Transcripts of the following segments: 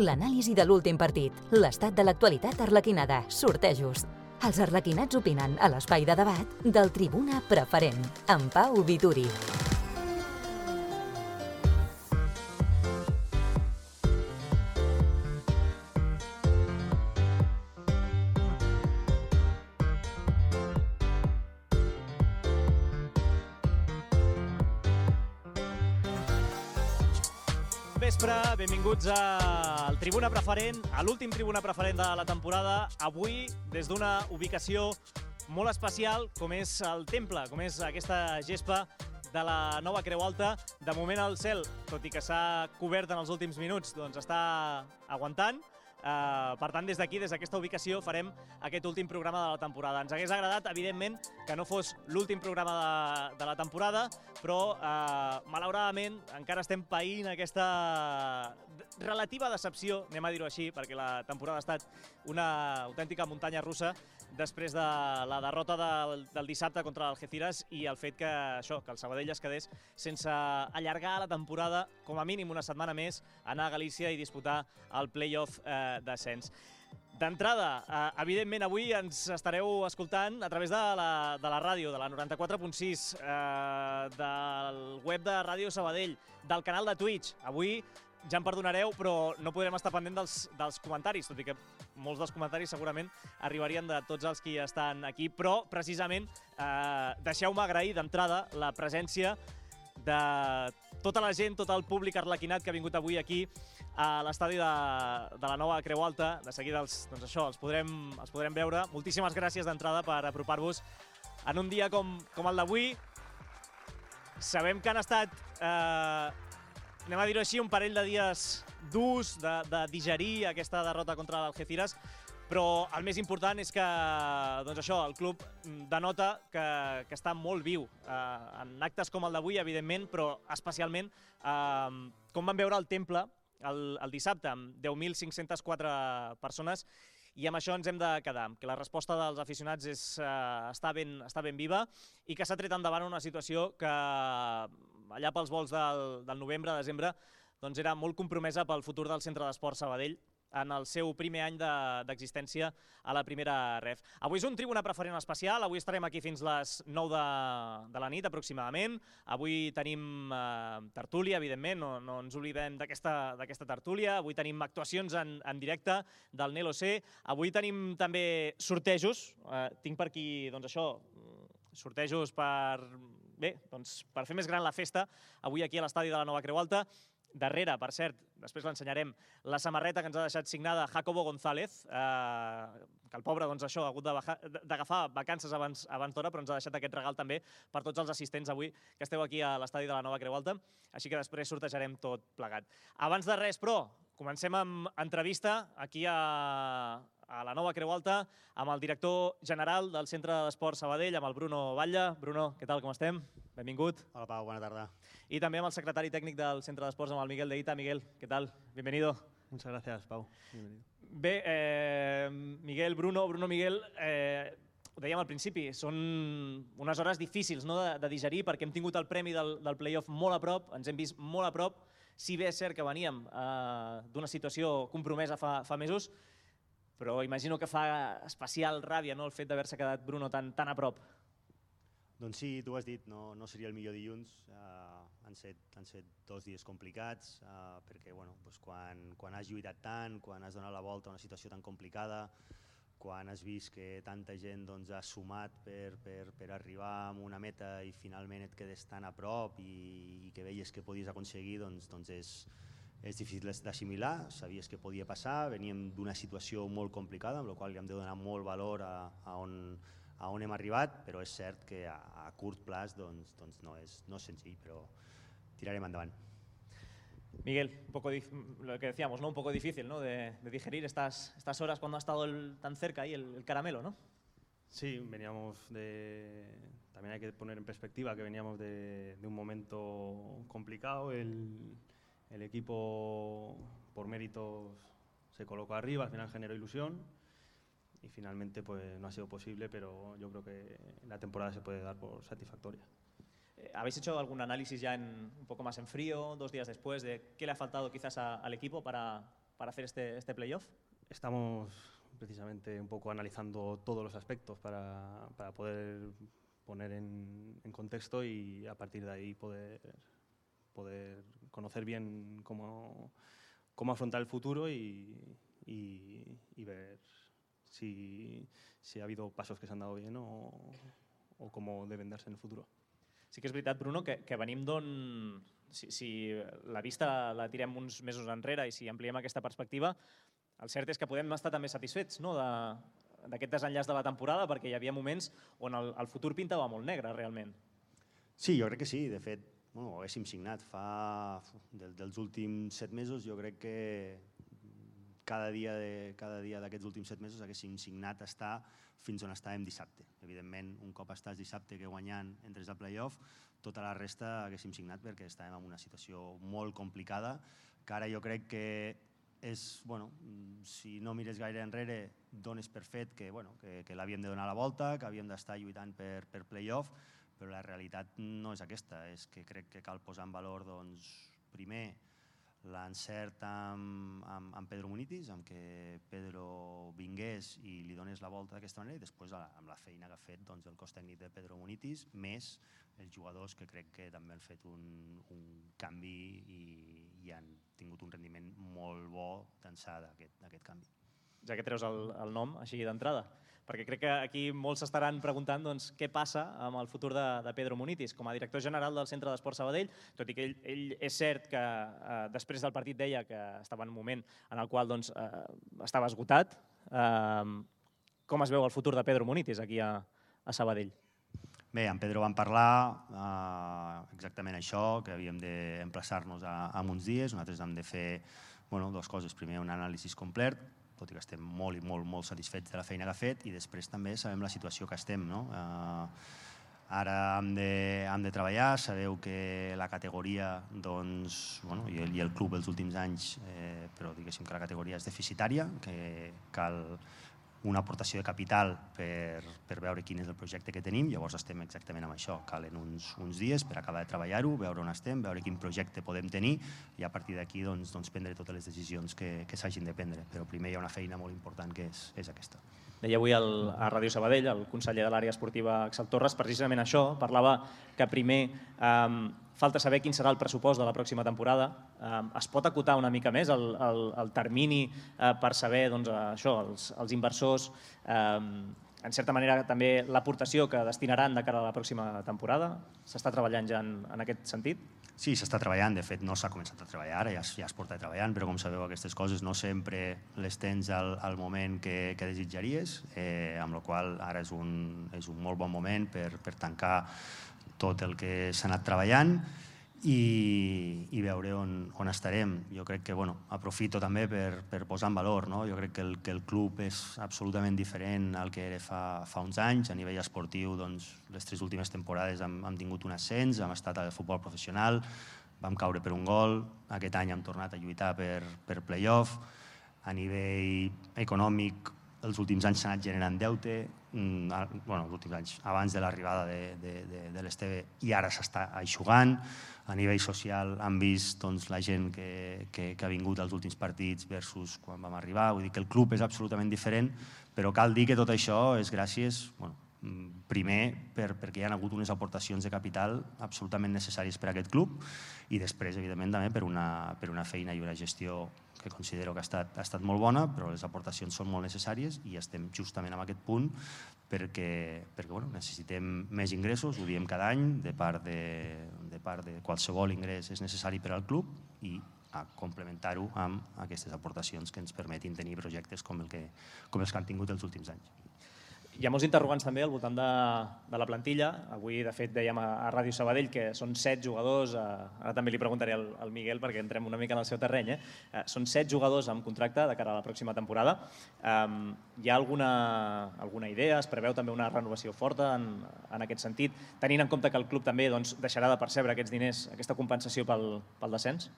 L'anàlisi de l'últim partit, l'estat de l'actualitat arlequinada, sortejos. Els arlequinats opinen a l'espai de debat del Tribuna Preferent, amb Pau Vituri. Vespre, benvinguts al Tribuna Preferent, a l'últim Tribuna Preferent de la temporada. Avui, des d'una ubicació molt especial, com és el Temple, com és aquesta gespa de la nova Creu Alta. De moment el cel, tot i que s'ha cobert en els últims minuts, doncs està aguantant. Per tant, des d'aquí, des d'aquesta ubicació, farem aquest últim programa de la temporada. Ens hagués agradat, evidentment, que no fos l'últim programa de la temporada, però, malauradament, encara estem païnt aquesta relativa decepció, anem a dir-ho així, perquè la temporada ha estat una autèntica muntanya russa després de la derrota del dissabte contra l'Algeciras i el fet que el Sabadell es quedés sense allargar la temporada, com a mínim una setmana més, anar a Galícia i disputar el play-off d'ascens. D'entrada, evidentment, avui ens estareu escoltant a través de la ràdio, de la 94.6, del web de Ràdio Sabadell, del canal de Twitch. Avui ja em perdonareu, però no podrem estar pendent dels comentaris, tot i que molts dels comentaris segurament arribarien de tots els que estan aquí, però precisament deixeu-me agrair d'entrada la presència de tota la gent, tot el públic arlequinat que ha vingut avui aquí a l'estadi de la nova Creu Alta. De seguida els podrem veure. Moltíssimes gràcies d'entrada per apropar-vos en un dia com el d'avui. Sabem que han estat, anem a dir-ho així, un parell de dies durs de digerir aquesta derrota contra l'Algeciras, però el més important és que el club denota que està molt viu en actes com el d'avui, evidentment, però especialment com van veure el Temple el dissabte, amb 10.504 persones, i amb això ens hem de quedar, que la resposta dels aficionats està ben viva i que s'ha tret endavant una situació que allà pels volts del novembre, desembre, doncs era molt compromesa pel futur del Centre d'Esports Sabadell en el seu primer any d'existència a la primera ref. Avui és un Tribuna Preferent especial, avui estarem aquí fins les 9 de la nit aproximadament. Avui tenim tertúlia, evidentment, no ens oblidem d'aquesta tertúlia. Avui tenim actuacions en directe del Nelo C. Avui tenim també sortejos. Tinc per aquí, sortejos per fer més gran la festa, avui aquí a l'estadi de la nova Creu Alta. Darrere, per cert, després l'ensenyarem, la samarreta que ens ha deixat signada Jacobo González, que el pobre ha hagut d'agafar vacances abans d'hora, però ens ha deixat aquest regal també per tots els assistents avui que esteu aquí a l'estadi de la nova Creu Alta, així que després sortejarem tot plegat. Abans de res, però, comencem amb entrevista aquí a la nova Creu Alta amb el director general del Centre d'Esports Sabadell, amb el Bruno Batlle. Bruno, què tal, com estem? Benvingut. Hola, Pau, bona tarda. Y también al secretario técnico del Centre d'Esports, amb el Miguel de Ita. Miguel, ¿qué tal? Bienvenido. Muchas gracias, Pau. Bienvenido. Bé, Miguel, Bruno, Miguel, ho dèiem al principi, són unes hores difícils de digerir perquè hem tingut el premi del play-off molt a prop, ens hem vist molt a prop, si bé és cert que veníem d'una situació compromesa fa mesos, però imagino que fa especial ràbia el fet d'haver-se quedat, Bruno, tan a prop. Doncs sí, tu has dit, no seria el millor dilluns. Han set 2 dies complicats perquè quan has lluitat tant, quan has donat la volta a una situació tan complicada, quan has vist que tanta gent ha sumat per arribar a una meta i finalment et quedes tan a prop i que veies que podies aconseguir, doncs és difícil d'assimilar. Sabies que podia passar, veníem d'una situació molt complicada, amb la qual hem de donar molt valor a on hem arribat, però és cert que a curt plaç no és senzill, però tirarem endavant. Miguel, lo que decíamos, un poco difícil de digerir estas horas cuando ha estado tan cerca ahí el caramelo, ¿no? Sí, también hay que poner en perspectiva que veníamos de un momento complicado. El equipo por méritos se colocó arriba, al final generó ilusión y finalmente no ha sido posible, pero yo creo que la temporada se puede dar por satisfactoria. ¿Habéis hecho algún análisis ya un poco más en frío, 2 días después, de qué le ha faltado quizás al equipo para hacer este playoff? Estamos precisamente un poco analizando todos los aspectos para poder poner en contexto y a partir de ahí poder conocer bien cómo afrontar el futuro y ver si ha habido pasos que s'han dado bien o cómo deben darse en el futuro. Sí que és veritat, Bruno, que venim d'on... Si la vista la tirem uns mesos enrere i si ampliem aquesta perspectiva, el cert és que podem estar també satisfets d'aquest desenllaç de la temporada perquè hi havia moments on el futur pintava molt negre, realment. Sí, jo crec que sí. De fet, ho haguéssim signat dels últims 7 mesos. Jo crec que cada dia d'aquests últims 7 mesos haguéssim signat estar fins on estàvem dissabte. Evidentment, un cop estàs dissabte que guanyant entres al playoff, tota la resta haguéssim signat perquè estàvem en una situació molt complicada, que ara jo crec que és, si no mires gaire enrere, dones per fet que l'havíem de donar la volta, que havíem d'estar lluitant per playoff, però la realitat no és aquesta. És que crec que cal posar en valor, primer, l'encert amb Pedro Munitis, amb que Pedro vingués i li donés la volta d'aquesta manera, i després amb la feina que ha fet el cos tècnic de Pedro Munitis, més els jugadors que crec que també han fet un canvi i han tingut un rendiment molt bo d'ençà d'aquest canvi. Ja que treus el nom així d'entrada, perquè crec que aquí molts s'estaran preguntant què passa amb el futur de Pedro Munitis com a director general del Centre d'Esports Sabadell, tot i que ell és cert que després del partit deia que estava en un moment en el qual estava esgotat. Com es veu el futur de Pedro Munitis aquí a Sabadell? Bé, amb Pedro vam parlar exactament això, que havíem d'emplaçar-nos en uns dies. Nosaltres hem de fer dues coses. Primer, un anàlisi complet, tot i que estem molt i molt satisfets de la feina que ha fet, i després també sabem la situació que estem. Ara hem de treballar, sabeu que la categoria i el club els últims anys, però diguéssim que la categoria és deficitària, que cal una aportació de capital per veure quin és el projecte que tenim. Llavors estem exactament amb això. Calen uns dies per acabar de treballar-ho, veure on estem, veure quin projecte podem tenir i a partir d'aquí prendre totes les decisions que s'hagin de prendre. Però primer hi ha una feina molt important que és aquesta. Deia avui a Ràdio Sabadell el conseller de l'àrea esportiva, Axel Torres, precisament això. Parlava que primer falta saber quin serà el pressupost de la pròxima temporada. Es pot acotar una mica més el termini per saber els inversors, en certa manera també l'aportació que destinaran de cara a la pròxima temporada? S'està treballant ja en aquest sentit? Sí, s'està treballant. De fet, no s'ha començat a treballar, ara ja es porta treballant, però com sabeu aquestes coses no sempre les tens al moment que desitjaries, amb la qual cosa ara és un molt bon moment per tancar tot el que s'ha anat treballant i veure on estarem. Jo crec que aprofito també per posar en valor. Jo crec que el club és absolutament diferent al que era fa uns anys. A nivell esportiu, les 3 últimes temporades hem tingut un ascens, hem estat al futbol professional, vam caure per un gol, aquest any hem tornat a lluitar per playoff. A nivell econòmic, els últims anys s'ha anat generant deute, els últims anys, abans de l'arribada de l'Esteve, i ara s'està eixugant. A nivell social hem vist la gent que ha vingut als últims partits versus quan vam arribar. Vull dir que el club és absolutament diferent, però cal dir que tot això és gràcies, primer, perquè hi ha hagut unes aportacions de capital absolutament necessàries per a aquest club i després, evidentment, també per una feina i una gestió que considero que ha estat molt bona, però les aportacions són molt necessàries i estem justament en aquest punt perquè necessitem més ingressos, ho diem cada any, de part de qualsevol ingrés és necessari per al club i a complementar-ho amb aquestes aportacions que ens permetin tenir projectes com els que han tingut els últims anys. Hi ha molts interrogants també al voltant de la plantilla. Avui, de fet, dèiem a Ràdio Sabadell que són 7 jugadors, ara també li preguntaré al Miguel perquè entrem una mica en el seu terreny, són 7 jugadors amb contracte de cara a la pròxima temporada. Hi ha alguna idea? Es preveu també una renovació forta en aquest sentit, tenint en compte que el club també deixarà de percebre aquests diners, aquesta compensació pel descens?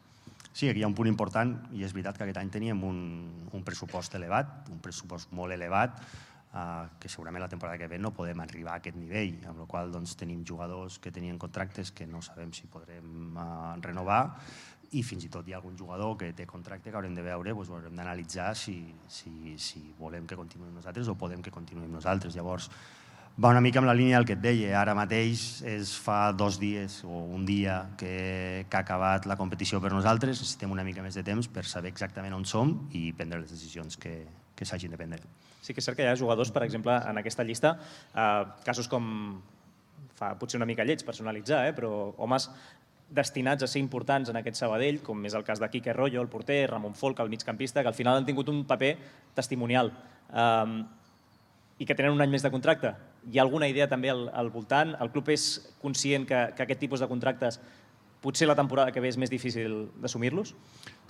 Sí, aquí hi ha un punt important i és veritat que aquest any teníem un pressupost elevat, un pressupost molt elevat, que segurament la temporada que ve no podem arribar a aquest nivell, amb la qual cosa tenim jugadors que tenien contractes que no sabem si podrem renovar i fins i tot hi ha algun jugador que té contracte que haurem de veure, doncs ho haurem d'analitzar si volem que continuïm nosaltres o podem que continuïm nosaltres. Llavors, va una mica amb la línia del que et deia. Ara mateix fa 2 dies o un dia que ha acabat la competició per nosaltres, necessitem una mica més de temps per saber exactament on som i prendre les decisions que s'hagin de prendre. Sí que és cert que hi ha jugadors, per exemple, en aquesta llista, casos com, fa potser una mica lleig personalitzar, però homes destinats a ser importants en aquest Sabadell, com és el cas de Quique Royo, el porter, Ramon Folk, el migcampista, que al final han tingut un paper testimonial i que tenen un any més de contracte. Hi ha alguna idea també al voltant? El club és conscient que aquest tipus de contractes potser la temporada que ve és més difícil d'assumir-los?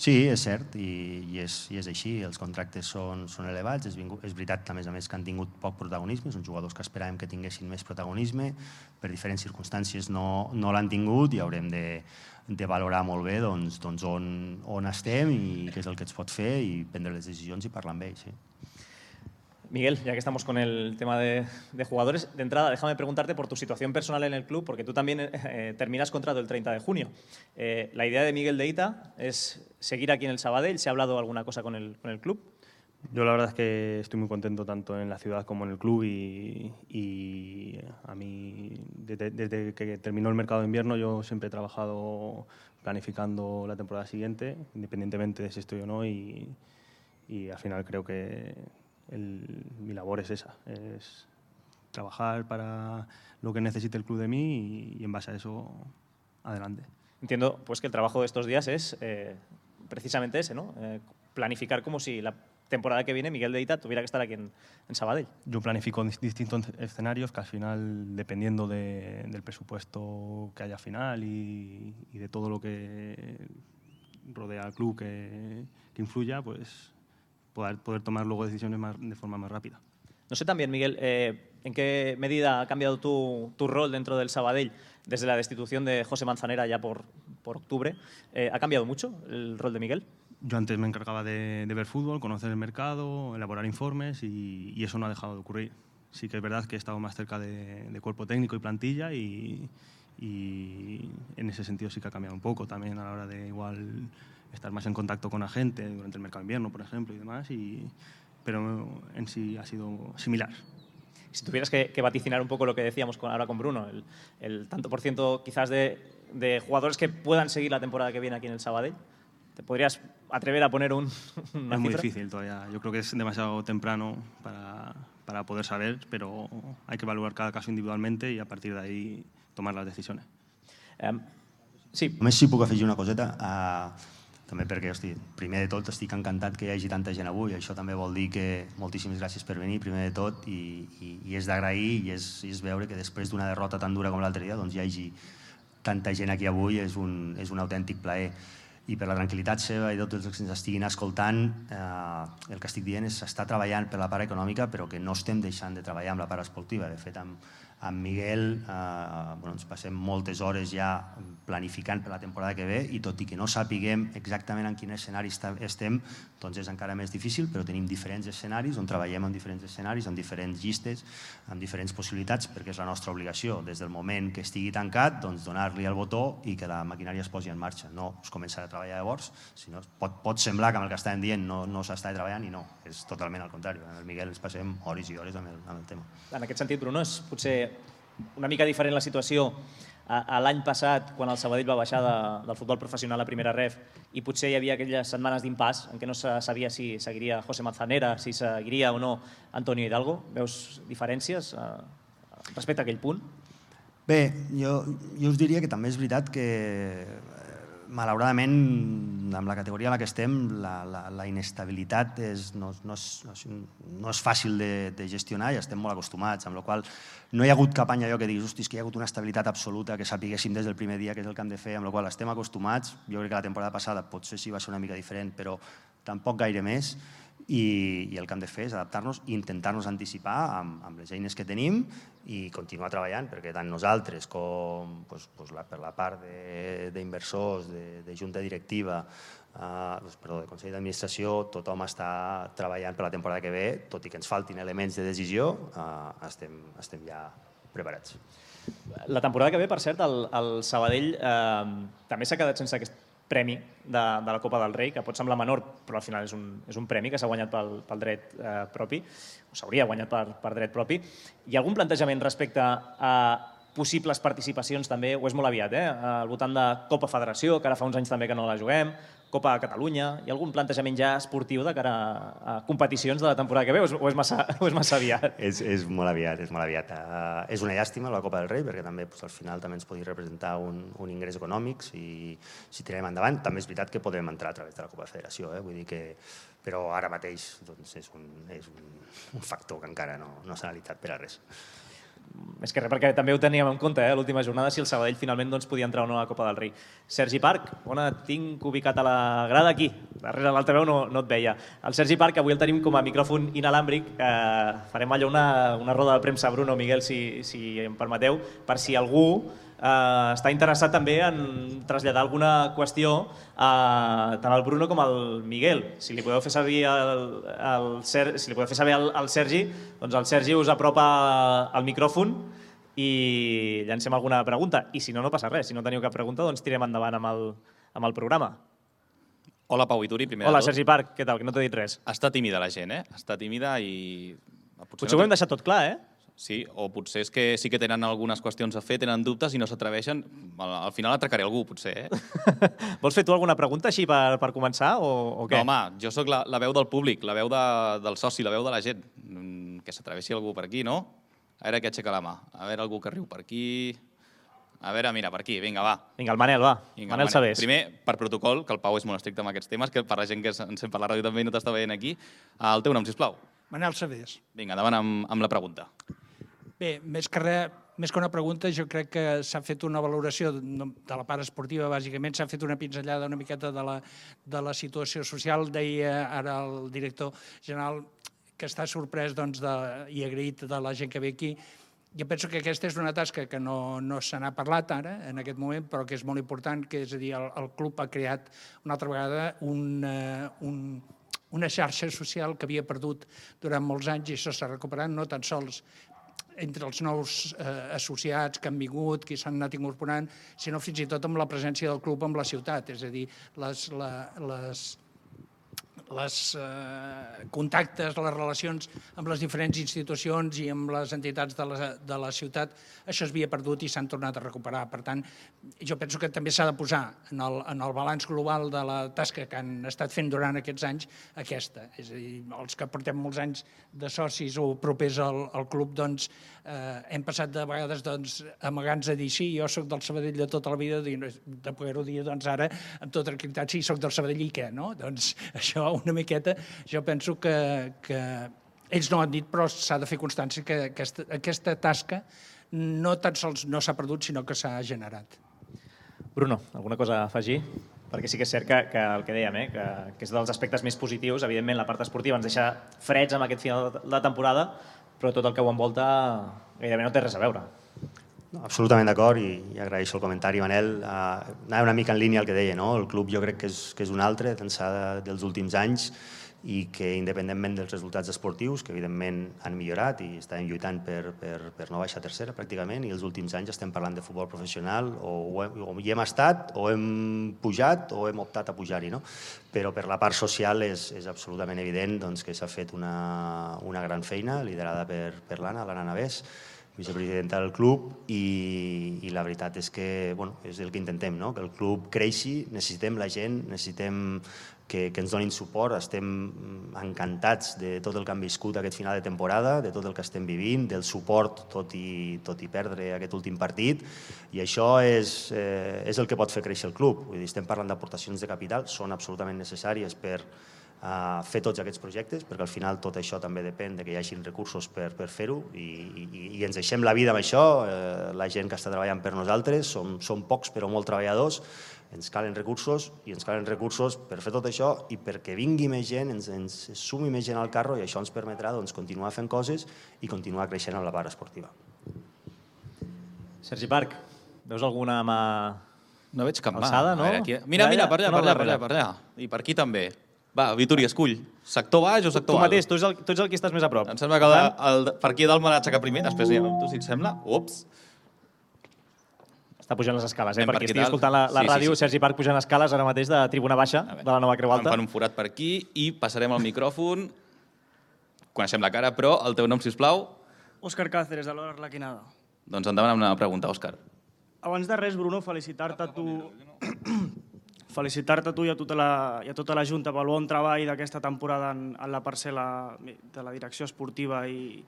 Sí, és cert, i és així. Els contractes són elevats. És veritat, a més, que han tingut poc protagonisme. Són jugadors que esperàvem que tinguessin més protagonisme. Per diferents circumstàncies no l'han tingut i haurem de valorar molt bé on estem i què és el que ens pot fer i prendre les decisions i parlar amb ells. Miguel, ya que estamos con el tema de jugadores, de entrada déjame preguntarte por tu situación personal en el club, porque tú también terminas contrato el 30 de junio. La idea de Miguel Deita es seguir aquí en el Sabadell. ¿Se ha hablado alguna cosa con el club? Yo la verdad es que estoy muy contento tanto en la ciudad como en el club y a mí desde que terminó el mercado de invierno yo siempre he trabajado planificando la temporada siguiente, independientemente de si estoy o no, y al final creo que mi labor es esa, es trabajar para lo que necesite el club de mí y en base a eso adelante. Entiendo pues que el trabajo de estos días es precisamente ese, ¿no? Planificar como si la temporada que viene Miguel Deita tuviera que estar aquí en Sabadell. Yo planifico distintos escenarios que al final, dependiendo del presupuesto que haya final y de todo lo que rodea al club que influya, pues poder tomar luego decisiones de forma más rápida. No sé también, Miguel, ¿en qué medida ha cambiado tu rol dentro del Sabadell desde la destitución de José Manzanera ya por octubre? ¿Ha cambiado mucho el rol de Miguel? Yo antes me encargaba de ver fútbol, conocer el mercado, elaborar informes y eso no ha dejado de ocurrir. Sí que es verdad que he estado más cerca de cuerpo técnico y plantilla y en ese sentido sí que ha cambiado un poco también a la hora de igual estar más en contacto con la gente durante el mercado de invierno, por ejemplo, y demás, pero en sí ha sido similar. Si tuvieras que vaticinar un poco lo que decíamos ahora con Bruno, el tanto por ciento quizás de jugadores que puedan seguir la temporada que viene aquí en el Sabadell, ¿te podrías atrever a poner una cifra? Es muy difícil todavía. Yo creo que es demasiado temprano para poder saber, pero hay que evaluar cada caso individualmente y a partir de ahí tomar las decisiones. Sí. Només si puc afegir una coseta, també perquè, primer de tot estic encantat que hi hagi tanta gent avui, això també vol dir que moltíssimes gràcies per venir, primer de tot, i és d'agrair i és veure que després d'una derrota tan dura com l'altre dia hi hagi tanta gent aquí avui, és un autèntic plaer. I per la tranquil·litat seva i de tots els que ens estiguin escoltant, el que estic dient és que s'està treballant per la part econòmica, però que no estem deixant de treballar amb la part esportiva. De fet, amb Miguel ens passem moltes hores ja planificant per la temporada que ve i tot i que no sapiguem exactament en quin escenari estem, doncs és encara més difícil, però tenim diferents escenaris on treballem en diferents escenaris, en diferents llistes, amb diferents possibilitats, perquè és la nostra obligació, des del moment que estigui tancat, doncs donar-li el botó i que la maquinària es posi en marxa. No es començarà a treballar llavors, sinó pot semblar que amb el que estàvem dient no s'està treballant i no, és totalment al contrari. Amb el Miguel ens passem hores i hores amb el tema. En aquest sentit, Bruno, és potser una mica diferent la situació a l'any passat, quan el Sabadell va baixar del futbol professional a primera ref i potser hi havia aquelles setmanes d'impàs en què no se sabia si seguiria José Manzanera, si seguiria o no Antonio Hidalgo. Veus diferències respecte a aquell punt? Bé, jo us diria que també és veritat que malauradament amb la categoria en la que estem la inestabilitat no és fàcil de gestionar i estem molt acostumats, amb la qual no hi ha hagut cap any allò que diguis que hi ha hagut una estabilitat absoluta, que sapiguéssim des del primer dia què és el que hem de fer, amb la qual estem acostumats. Jo crec que la temporada passada potser sí va ser una mica diferent, però tampoc gaire més. I el que hem de fer és adaptar-nos i intentar-nos anticipar amb les eines que tenim i continuar treballant, perquè tant nosaltres com per la part d'inversors, de junta directiva, de Consell d'Administració, tothom està treballant per la temporada que ve, tot i que ens faltin elements de decisió, estem ja preparats. La temporada que ve, per cert, el Sabadell també s'ha quedat sense premi de la Copa del Rei, que pot semblar menor, però al final és un premi que s'ha guanyat pel dret propi, o s'hauria guanyat per dret propi. Hi ha algun plantejament respecte a possibles participacions també, o és molt aviat, al voltant de Copa Federació, que ara fa uns anys també que no la juguem, Copa de Catalunya, hi ha algun plantejament ja esportiu de cara a competicions de la temporada que ve, o és massa aviat? És molt aviat, és molt aviat. És una llàstima la Copa del Rei, perquè també al final també ens podria representar un ingrés econòmic si tirem endavant. També és veritat que podem entrar a través de la Copa de Federació, vull dir que... Però ara mateix és un factor que encara no s'ha analitzat per a res. Més que res, perquè també ho teníem en compte, l'última jornada, si el Sabadell finalment podia entrar o no a la Copa del Rei. Sergi Parc, on et tinc ubicat a la grada? Aquí, darrere l'altaveu no et veia. El Sergi Parc, avui el tenim com a micròfon inalàmbric. Farem allò una roda de premsa, Bruno, Miguel, si em permeteu, per si algú està interessat també en traslladar alguna qüestió tant al Bruno com al Miguel. Si li podeu fer saber al Sergi, doncs el Sergi us apropa el micròfon i llancem alguna pregunta. I si no passa res. Si no teniu cap pregunta, doncs tirem endavant amb el programa. Hola, Pau i Turi, primer de tot. Hola, Sergi Parc, què tal? Que no t'he dit res. Està tímida la gent, Està tímida i... Potser ho hem deixat tot clar, Sí, o potser és que sí que tenen algunes qüestions a fer, tenen dubtes i no s'atreveixen. Al final atracaré algú, potser, Vols fer tu alguna pregunta així per començar o què? No, home, jo sóc la veu del públic, la veu del soci, la veu de la gent. Que s'atreveixi algú per aquí, no? A veure qui aixeca la mà. A veure algú que riu per aquí... A veure, mira, per aquí, vinga, va. Vinga, el Manel, va. Manel Sabés. Primer, per protocol, que el Pau és molt estricte amb aquests temes, que per la gent que ens sent per la ràdio també i no t'està veient aquí. El teu nom, sisplau. Manel Sabés. Vinga, endavant amb la pregunta. Bé, més que una pregunta, jo crec que s'ha fet una valoració de la part esportiva, bàsicament, s'ha fet una pinzellada una miqueta de la situació social. Deia ara el director general que està sorprès i agraït de la gent que ve aquí. Jo penso que aquesta és una tasca que no se n'ha parlat ara, en aquest moment, però que és molt important, que és a dir, el club ha creat una altra vegada una xarxa social que havia perdut durant molts anys i això s'ha recuperat, no tan sols entre els nous associats que han vingut, que s'han anat incorporant, sinó fins i tot amb la presència del club amb la ciutat, és a dir, les contactes, les relacions amb les diferents institucions i amb les entitats de la ciutat, això s'havia perdut i s'han tornat a recuperar. Per tant, jo penso que també s'ha de posar en el balanç global de la tasca que han estat fent durant aquests anys aquesta. És a dir, els que portem molts anys de socis o propers al club, doncs hem passat de vegades amagant-nos a dir sí, jo soc del Sabadell de tota la vida, de poder-ho dir ara amb tota tranquil·litat, sí, soc del Sabadell i què, no? Doncs això una miqueta, jo penso que ells no han dit, però s'ha de fer constància que aquesta tasca no tan sols no s'ha perdut, sinó que s'ha generat. Bruno, alguna cosa a afegir? Perquè sí que és cert que el que dèiem, que és dels aspectes més positius, evidentment la part esportiva ens deixa freds amb aquest final de la temporada, però tot el que ho envolta gairebé no té res a veure. Absolutament d'acord i agraeixo el comentari, Manel. Anava una mica en línia al que deia, no? El club jo crec que és un altre d'ençà dels últims anys i que independentment dels resultats esportius, que evidentment han millorat i estàvem lluitant per no baixar a tercera pràcticament, i els últims anys estem parlant de futbol professional, o hi hem estat, o hem pujat, o hem optat a pujar-hi, no? Però per la part social és absolutament evident que s'ha fet una gran feina liderada per l'Anna Navès, vicepresidenta del club, i la veritat és que és el que intentem, que el club creixi, necessitem la gent, necessitem que ens donin suport, estem encantats de tot el que han viscut aquest final de temporada, de tot el que estem vivint, del suport tot i perdre aquest últim partit, i això és el que pot fer créixer el club. Estem parlant d'aportacions de capital, són absolutament necessàries per fer tots aquests projectes, perquè al final tot això també depèn que hi hagi recursos per fer-ho i ens deixem la vida amb això, la gent que està treballant per nosaltres, som pocs però molt treballadors, ens calen recursos i ens calen recursos per fer tot això i perquè vingui més gent, ens sumi més gent al carro i això ens permetrà continuar fent coses i continuar creixent en la part esportiva. Sergi Parc, veus alguna mà no veig cap mà alçada, no? Mira, per allà. I per aquí també. Va, Vituri, escull. Sector baix o sector alt? Tu mateix, tu ets el que estàs més a prop. Em sembla que per aquí dalt me l'aixecar primer, després ja tu, si et sembla. Ups. Està pujant les escales, Anem per per qui aquí estigui dalt. escoltant la Sí, ràdio, sí. Sergi Parc pujant escales ara mateix de Tribuna Baixa de la nova Creu Em Alta. fan un forat per aquí i passarem al micròfon. Coneixem la cara, però el teu nom, sisplau. Òscar Cáceres, de l'Hora Arlequinada. Doncs endavant amb una pregunta, Òscar. Abans de res, Bruno, felicitar-te a tu i a tota la Junta pel bon treball d'aquesta temporada en la parcel·la de la direcció esportiva i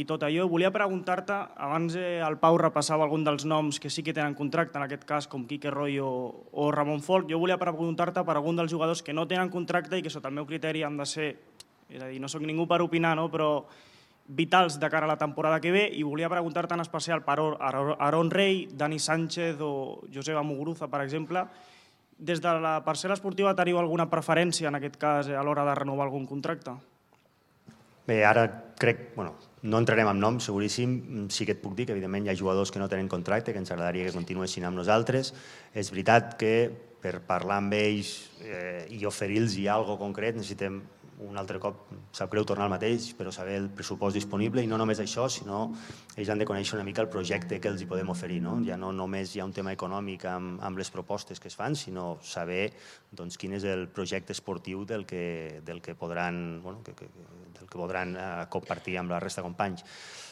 tot allò. Volia preguntar-te, abans el Pau repassava algun dels noms que sí que tenen contracte, en aquest cas com Quique Roy o Ramon Folk, jo volia preguntar-te per algun dels jugadors que no tenen contracte i que sota el meu criteri han de ser, és a dir, no sóc ningú per opinar, no? Però vitals de cara a la temporada que ve, i volia preguntar-te en especial per Aaron Rey, Dani Sánchez o Joseba Muguruza, per exemple. Des de la parcel·la esportiva teniu alguna preferència, en aquest cas, a l'hora de renovar algun contracte? Bé, ara crec, no entrarem en nom, seguríssim. Sí que et puc dir que, evidentment, hi ha jugadors que no tenen contracte, que ens agradaria que continuessin amb nosaltres. És veritat que per parlar amb ells i oferir-los alguna cosa concret necessitem un altre cop, sap greu tornar al mateix, però saber el pressupost disponible, i no només això, sinó ells han de conèixer una mica el projecte que els hi podem oferir. Ja no només hi ha un tema econòmic amb les propostes que es fan, sinó saber quin és el projecte esportiu del que podran compartir amb la resta de companys.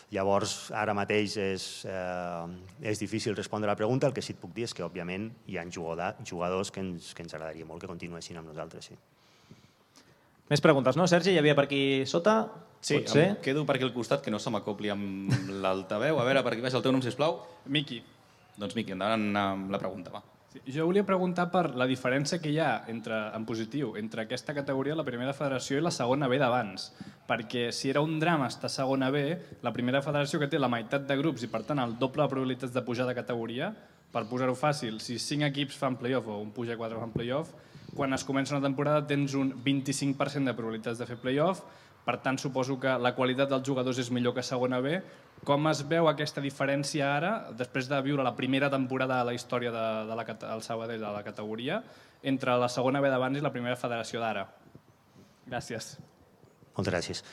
Llavors, ara mateix és difícil respondre a la pregunta. El que sí et puc dir és que, òbviament, hi ha jugadors que ens agradaria molt que continuessin amb nosaltres, sí. Més preguntes, no, Sergi? Hi havia per aquí sota? Sí, em quedo per aquí al costat, que no se m'acopli amb l'altaveu. A veure, per aquí baix el teu nom, sisplau. Miqui. Doncs Miqui, endavant amb la pregunta, va. Jo volia preguntar per la diferència que hi ha en positiu entre aquesta categoria, la primera federació, i la segona B d'abans. Perquè si era un drama estar a segona B, la primera federació, que té la meitat de grups i per tant el doble de probabilitats de pujar de categoria, per posar-ho fàcil, si 5 equips fan play-off o un puja 4 fan play-off, quan es comença una temporada tens un 25% de probabilitats de fer play-off, per tant suposo que la qualitat dels jugadors és millor que segona B. Com es veu aquesta diferència ara, després de viure la primera temporada de la història del Sabadell de la categoria, entre la segona B d'abans i la primera federació d'ara? Gràcies. Moltes gràcies.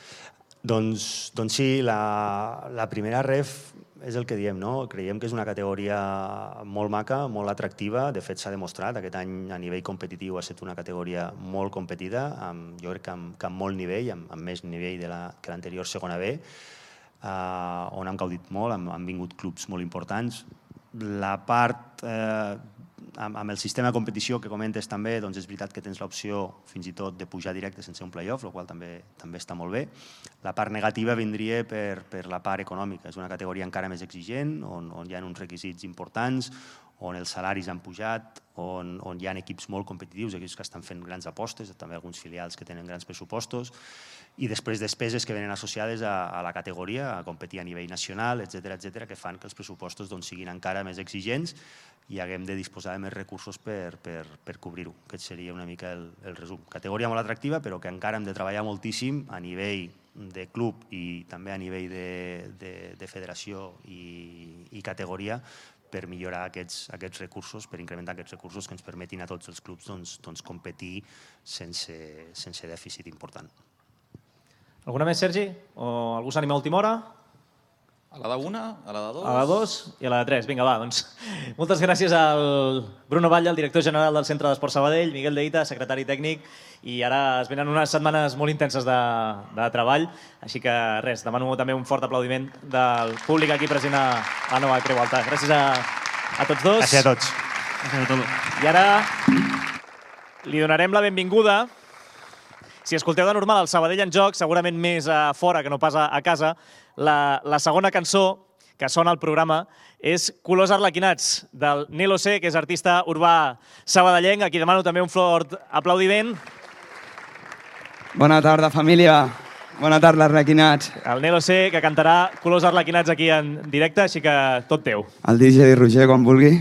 Doncs sí, la primera ref és el que diem, no? Creiem que és una categoria molt maca, molt atractiva. De fet, s'ha demostrat. Aquest any a nivell competitiu ha estat una categoria molt competida, jo crec que amb molt nivell, amb més nivell que l'anterior segona B, on hem gaudit molt, han vingut clubs molt importants. La part amb el sistema de competició que comentes també, doncs és veritat que tens l'opció fins i tot de pujar directe sense un play-off, el qual també està molt bé. La part negativa vindria per la part econòmica. És una categoria encara més exigent, on hi ha uns requisits importants, on els salaris han pujat, on hi ha equips molt competitius, equips que estan fent grans apostes, també alguns filials que tenen grans pressupostos, i després despeses que venen associades a la categoria, a competir a nivell nacional, etc., que fan que els pressupostos siguin encara més exigents i haguem de disposar de més recursos per cobrir-ho. Aquest seria una mica el resum. Categoria molt atractiva, però que encara hem de treballar moltíssim a nivell de club i també a nivell de federació i categoria per millorar aquests recursos, per incrementar aquests recursos que ens permetin a tots els clubs competir sense dèficit important. Alguna més, Sergi? O algú s'anima a última hora? A la d'1, a la de 2... A la 2 i a la de 3. Vinga, va, doncs. Moltes gràcies al Bruno Batlle, el director general del Centre d'Esport Sabadell, Miguel Deita, secretari tècnic, i ara es venen unes setmanes molt intenses de treball, així que res, demano també un fort aplaudiment del públic aquí present a la nova Creu Alta. Gràcies a tots dos. Gràcies a tots. I ara li donarem la benvinguda. Si escolteu de normal el Sabadell en joc, segurament més a fora que no pas a casa, la segona cançó que sona al programa és Colors Arlequinats, del Nelo C, que és artista urbà sabadellenc, a qui demano també un fort aplaudiment. Bona tarda, família. Bona tarda, Arlequinats. El Nelo C, que cantarà Colors Arlequinats aquí en directe, així que tot teu. El DJ Roger, quan vulgui.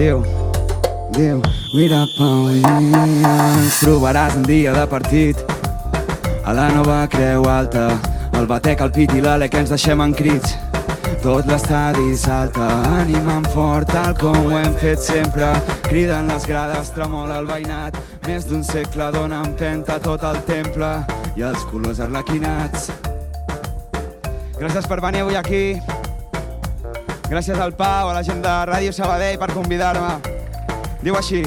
Diu, mira Paulina, ens trobaràs un dia de partit a la nova Creu Alta, El batec, el pit i l'ale que ens deixem en crits. Tot l'estadi salta, animant fort, tal com ho hem fet sempre. Criden les grades, tremola el veïnat. Més d'un segle dona empenta tot el temple i els colors arlequinats. Gràcies per venir avui aquí. Gràcies al Pau, a la gent de Ràdio Sabadell per convidar-me. Diu així.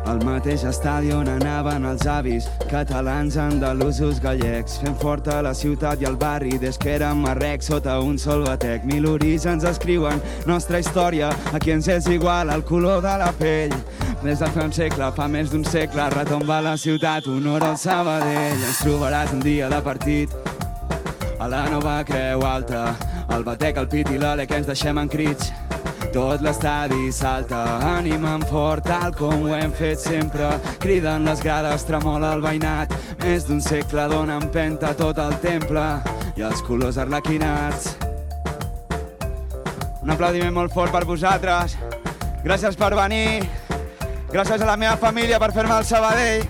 Al mateix estadi on anaven els avis, catalans, andalusos, gallecs, fent forta la ciutat i el barri des que érem marrecs sota un sol batec. 1000 orígens escriuen nostra història, a qui ens és igual el color de la pell. Des de fa un segle, fa més d'un segle, retomba la ciutat, honor al Sabadell. Ens trobaràs un dia de partit a la nova Creu Alta, el batec, el pit i l'ale que ens deixem en crits. Tot l'estadi salta, animant fort, tal com ho hem fet sempre. Criden les grades, tremola el veïnat. Més d'un segle dona empenta tot el temple i els colors arlequinats. Un aplaudiment molt fort per vosaltres. Gràcies per venir. Gràcies a la meva família per fer-me el Sabadell.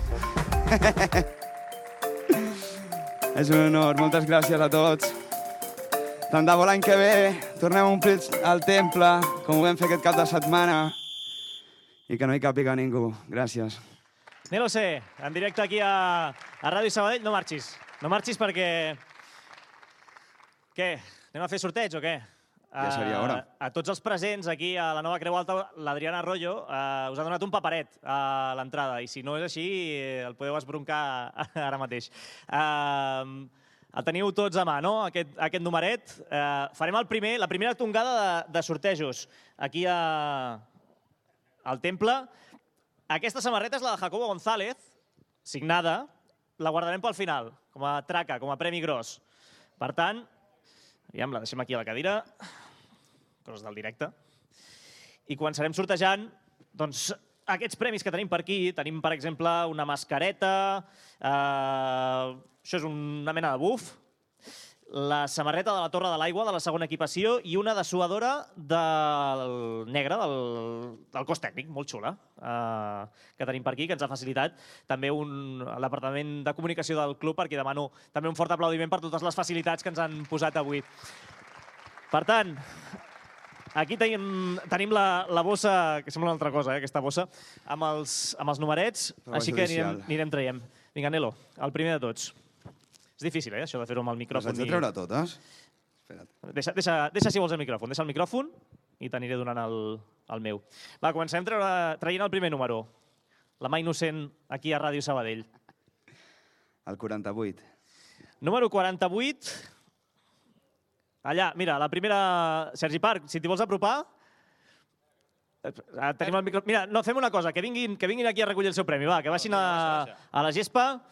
És un honor, moltes gràcies a tots. Tant de bo l'any que ve tornem a omplir el temple, com ho vam fer aquest cap de setmana, i que no hi càpiga ningú. Gràcies. Nelo C, en directe aquí a Ràdio Sabadell. No marxis perquè... Què? Anem a fer sorteig o què? Ja seria hora. A tots els presents aquí a la nova Creu Alta, l'Adriana Arroyo us ha donat un paperet a l'entrada, i si no és així el podeu esbroncar ara mateix. El teniu tots a mà, no?, aquest numeret. Farem la primera tongada de sortejos aquí al temple. Aquesta samarreta és la de Jacobo González, signada. La guardarem pel final, com a traca, com a premi gros. Per tant, aviam, la deixem aquí a la cadira. Coses del directe. I començarem sortejant, doncs, aquests premis que tenim per aquí. Tenim, per exemple, una mascareta. Això és una mena de buf. La samarreta de la Torre de l'Aigua, de la segona equipació, i una dessuadora negra del cos tècnic, molt xula, que tenim per aquí, que ens ha facilitat també el departament de comunicació del club, perquè demano també un fort aplaudiment per totes les facilitats que ens han posat avui. Per tant, aquí tenim la bossa, que sembla una altra cosa, aquesta bossa, amb els numerets, així que anirem traient. Vinga, Nelo, el primer de tots. És difícil, això de fer-ho amb el micròfon. Les haig de treure totes? Espera't. Deixa si vols el micròfon. Deixa el micròfon i t'aniré donant el meu. Va, comencem traient el primer número. La mà innocent aquí a Ràdio Sabadell. El 48. Número 48. Allà, mira, la primera... Sergi Parc, si t'hi vols apropar... Tenim el micròfon. Mira, no, fem una cosa, que vinguin aquí a recollir el seu premi. Va, que baixin a la gespa.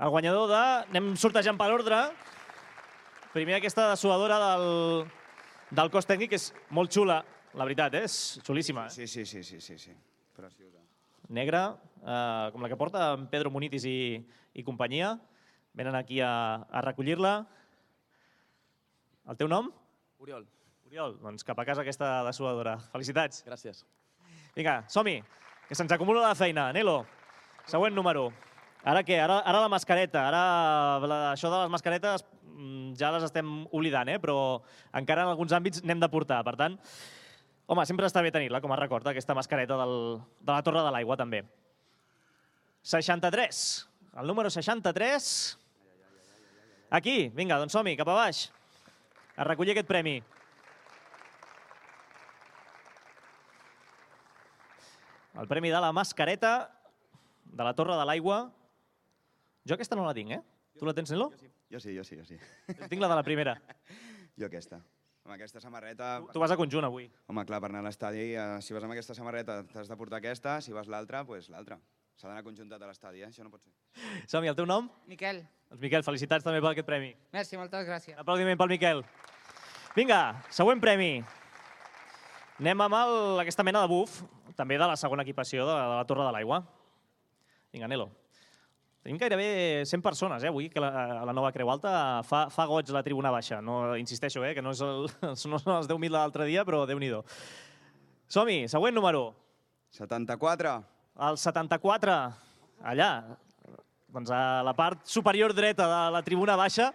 El guanyador de... Anem sortejant per ordre. Primer aquesta dessuadora del cos tècnic, que és molt xula, la veritat, és xulíssima. Sí. Preciosa. Negra, com la que porta en Pedro Munitis i companyia. Venen aquí a recollir-la. El teu nom? Oriol. Oriol, doncs cap a casa aquesta dessuadora. Felicitats. Gràcies. Vinga, som-hi, que se'ns acumula la feina. Nelo, següent número. Ara què? Ara la mascareta. Ara això de les mascaretes ja les estem oblidant, però encara en alguns àmbits n'hem de portar. Per tant, home, sempre està bé tenir-la com a record, aquesta mascareta de la Torre de l'Aigua, també. 63. El número 63. Aquí, vinga, doncs som-hi, cap a baix. A recollir aquest premi. El premi de la mascareta de la Torre de l'Aigua. Jo aquesta no la tinc, Tu la tens, Nelo? Jo sí. Tinc la de la primera. Jo aquesta. Amb aquesta samarreta... Tu vas a conjunt avui. Home, clar, per anar a l'estadi, si vas amb aquesta samarreta t'has de portar aquesta, si vas l'altra, doncs l'altra. S'ha d'anar conjuntat a l'estadi, això no pot ser. Som-hi, el teu nom? Miquel. Doncs Miquel, felicitats també per aquest premi. Merci, moltes gràcies. Un aplaudiment pel Miquel. Vinga, següent premi. Anem amb aquesta mena de buf, també de la segona equipació de la Torre de l'Aigua. Vinga, Nelo. Tenim gairebé 100 persones avui, que a la nova Creu Alta fa goig la tribuna baixa. No, insisteixo, que no són els 10.000 de l'altre dia, però Déu-n'hi-do. Som-hi, següent número. 74. El 74. Allà. doncs a la part superior dreta de la tribuna baixa.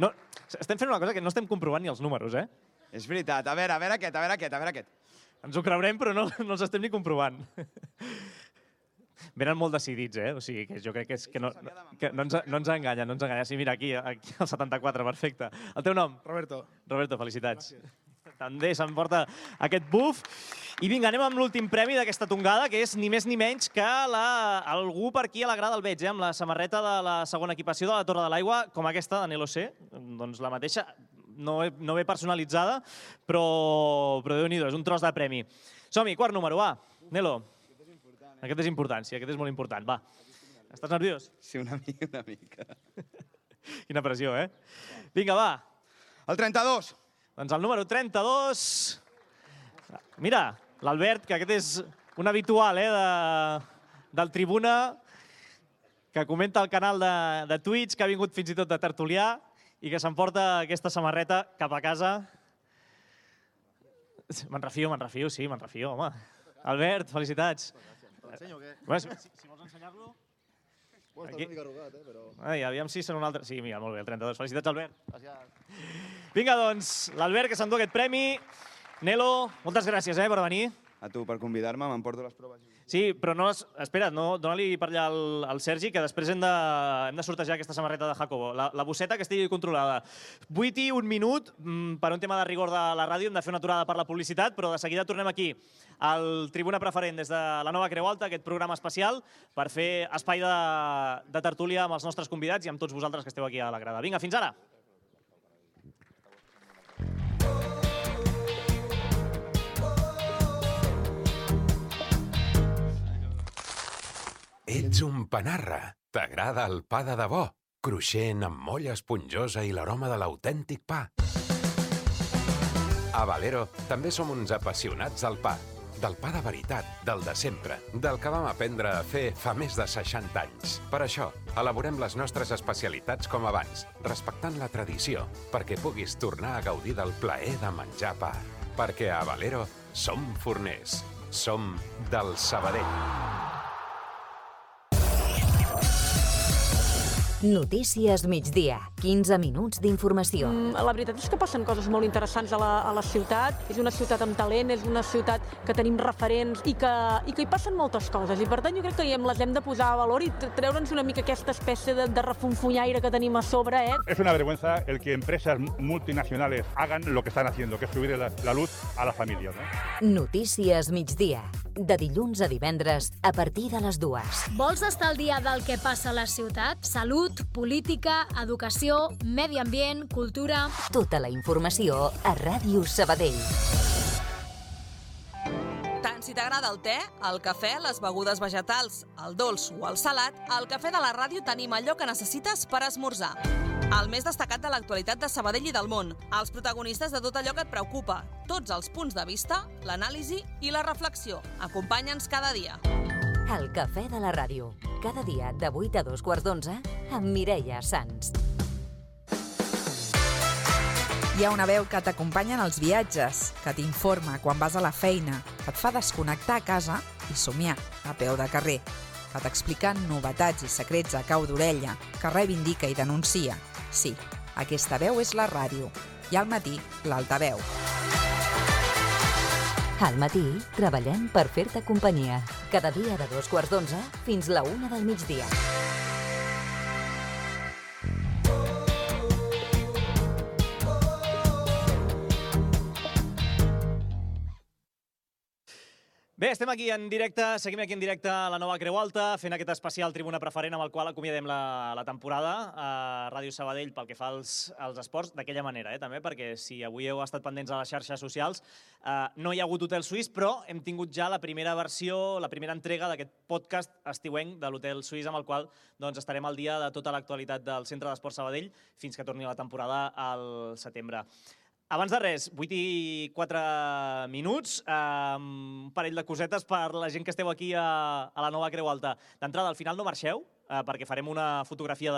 No, estem fent una cosa que no estem comprovant ni els números, eh? És veritat. A veure aquest. Ens ho creurem, però no els estem ni comprovant. Venen molt decidits, eh? O sigui, que jo crec que no ens enganya, no ens enganya. Sí, mira, aquí el 74, perfecte. El teu nom? Roberto. Roberto, felicitats. També s'emporta aquest buf. I vinga, anem amb l'últim premi d'aquesta tongada, que és ni més ni menys que algú per aquí a la grada el veig, amb la samarreta de la segona equipació de la Torre de l'Aigua, com aquesta de Nelo C. Doncs la mateixa, no ve personalitzada, però Déu-n'hi-do, és un tros de premi. Som-hi, quart número, va. Nelo. Aquest és important, sí, aquest és molt important. Va. Estàs nerviós? Sí, una mica. Quina pressió, eh? Vinga, va. El 32. Doncs el número 32... Mira, l'Albert, que aquest és un habitual del Tribuna, que comenta al canal de Twitch, que ha vingut fins i tot de tertulià i que s'emporta aquesta samarreta cap a casa. Me'n refio, sí, home. Albert, felicitats. L'ensenyo o què? Si vols ensenyar-lo... Bueno, està una mica arrugat, però... Ai, aviam si són un altre... Sí, mira, molt bé, el 32. Felicitats, Albert. Gràcies. Vinga, doncs, l'Albert, que s'endú aquest premi. Nelo, moltes gràcies per venir. A tu per convidar-me, m'emporto les proves. Sí, però no... Espera't, dona-li per allà al Sergi, que després hem de sortejar aquesta samarreta de Jacobo. La bosseta que estigui controlada. 8 i 1 minut, per un tema de rigor de la ràdio, hem de fer una aturada per la publicitat, però de seguida tornem aquí al Tribuna Preferent des de la Nova Creu Alta, aquest programa especial, per fer espai de tertúlia amb els nostres convidats i amb tots vosaltres que esteu aquí a la grada. Vinga, fins ara! Ets un panarra. T'agrada el pa de debò? Cruixent, amb molla esponjosa i l'aroma de l'autèntic pa. A Valero també som uns apassionats del pa. Del pa de veritat, del de sempre, del que vam aprendre a fer fa més de 60 anys. Per això, elaborem les nostres especialitats com abans, respectant la tradició, perquè puguis tornar a gaudir del plaer de menjar pa. Perquè a Valero som forners. Som del Sabadell. Notícies migdia. 15 minuts d'informació. La veritat és que passen coses molt interessants a la ciutat. És una ciutat amb talent, és una ciutat que tenim referents i que hi passen moltes coses. I per tant jo crec que les hem de posar a valor i treure'ns una mica aquesta espècie de refunfunyaire que tenim a sobre. Es una vergüenza el que empresas multinacionales hagan lo que están haciendo, que es subir la luz a las familias. Notícies migdia. De dilluns a divendres a partir de les 2. Vols estar al dia del que passa a la ciutat? Salut, política, educació, medi ambient, cultura... Tota la informació a Ràdio Sabadell. Tant si t'agrada el te, el cafè, les begudes vegetals, el dolç o el salat, al Cafè de la Ràdio tenim allò que necessites per esmorzar. El més destacat de l'actualitat de Sabadell i del món, els protagonistes de tot allò que et preocupa, tots els punts de vista, l'anàlisi i la reflexió. Acompanya'ns cada dia. El Cafè de la Ràdio, cada dia de 8 a 2:15 amb Mireia Sans. Hi ha una veu que t'acompanya en els viatges, que t'informa quan vas a la feina, que et fa desconnectar a casa i somiar a peu de carrer, que t'explica novetats i secrets a cau d'orella, que reivindica i denuncia. Sí, aquesta veu és la ràdio. I al matí, l'altaveu. Al matí, treballem per fer-te companyia. Cada dia de 2:15 fins la 1 del migdia. Bé, estem aquí en directe, seguim aquí en directe a la Nova Creu Alta, fent aquest especial Tribuna Preferent amb el qual acomiadem la temporada a Ràdio Sabadell pel que fa als esports, d'aquella manera, també, perquè si avui heu estat pendents a les xarxes socials, no hi ha hagut Hotel Suís, però hem tingut ja la primera versió, la primera entrega d'aquest podcast estiuenc de l'Hotel Suís, amb el qual estarem al dia de tota l'actualitat del Centre d'Esports Sabadell fins que torni la temporada al setembre. Abans de res, 8 i 4 minuts, un parell de cosetes per la gent que esteu aquí a la Nova Creu Alta. D'entrada, al final no marxeu, perquè farem una fotografia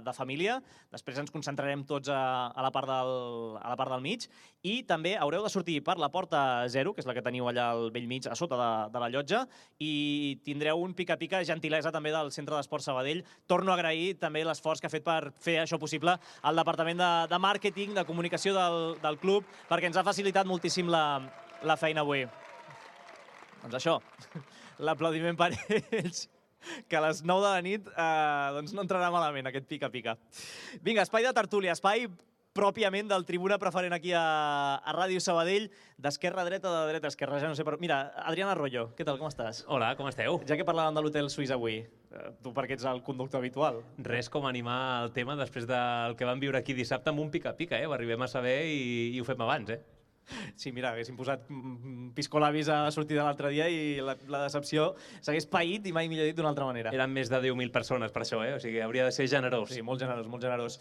de família, després ens concentrarem tots a la part del mig, i també haureu de sortir per la porta 0, que és la que teniu allà al vell mig, a sota de la llotja, i tindreu un pica-pica gentilesa també del Centre d'Esport Sabadell. Torno a agrair també l'esforç que ha fet per fer això possible al Departament de Màrqueting, de Comunicació del club, perquè ens ha facilitat moltíssim la feina avui. Doncs això, l'aplaudiment per ells, que a les 9 de la nit no entrarà malament aquest pica-pica. Vinga, espai de tertúlia, espai pròpiament del Tribuna Preferent aquí a Ràdio Sabadell, d'esquerra a dreta, de dreta a esquerra, ja no sé per... Mira, Adrián Arroyo, què tal, com estàs? Hola, com esteu? Ja que parlàvem de l'Hotel Suís avui, tu perquè ets el conductor habitual. Res com animar el tema després del que vam viure aquí dissabte amb un pica-pica, Ho arribem a saber i ho fem abans, Sí, mira, haguéssim posat piscolabis a la sortida l'altre dia i la decepció s'hagués paït i mai millor dit d'una altra manera. Eren més de 10.000 persones per això, O sigui, hauria de ser generós. Sí, molt generós, molt generós.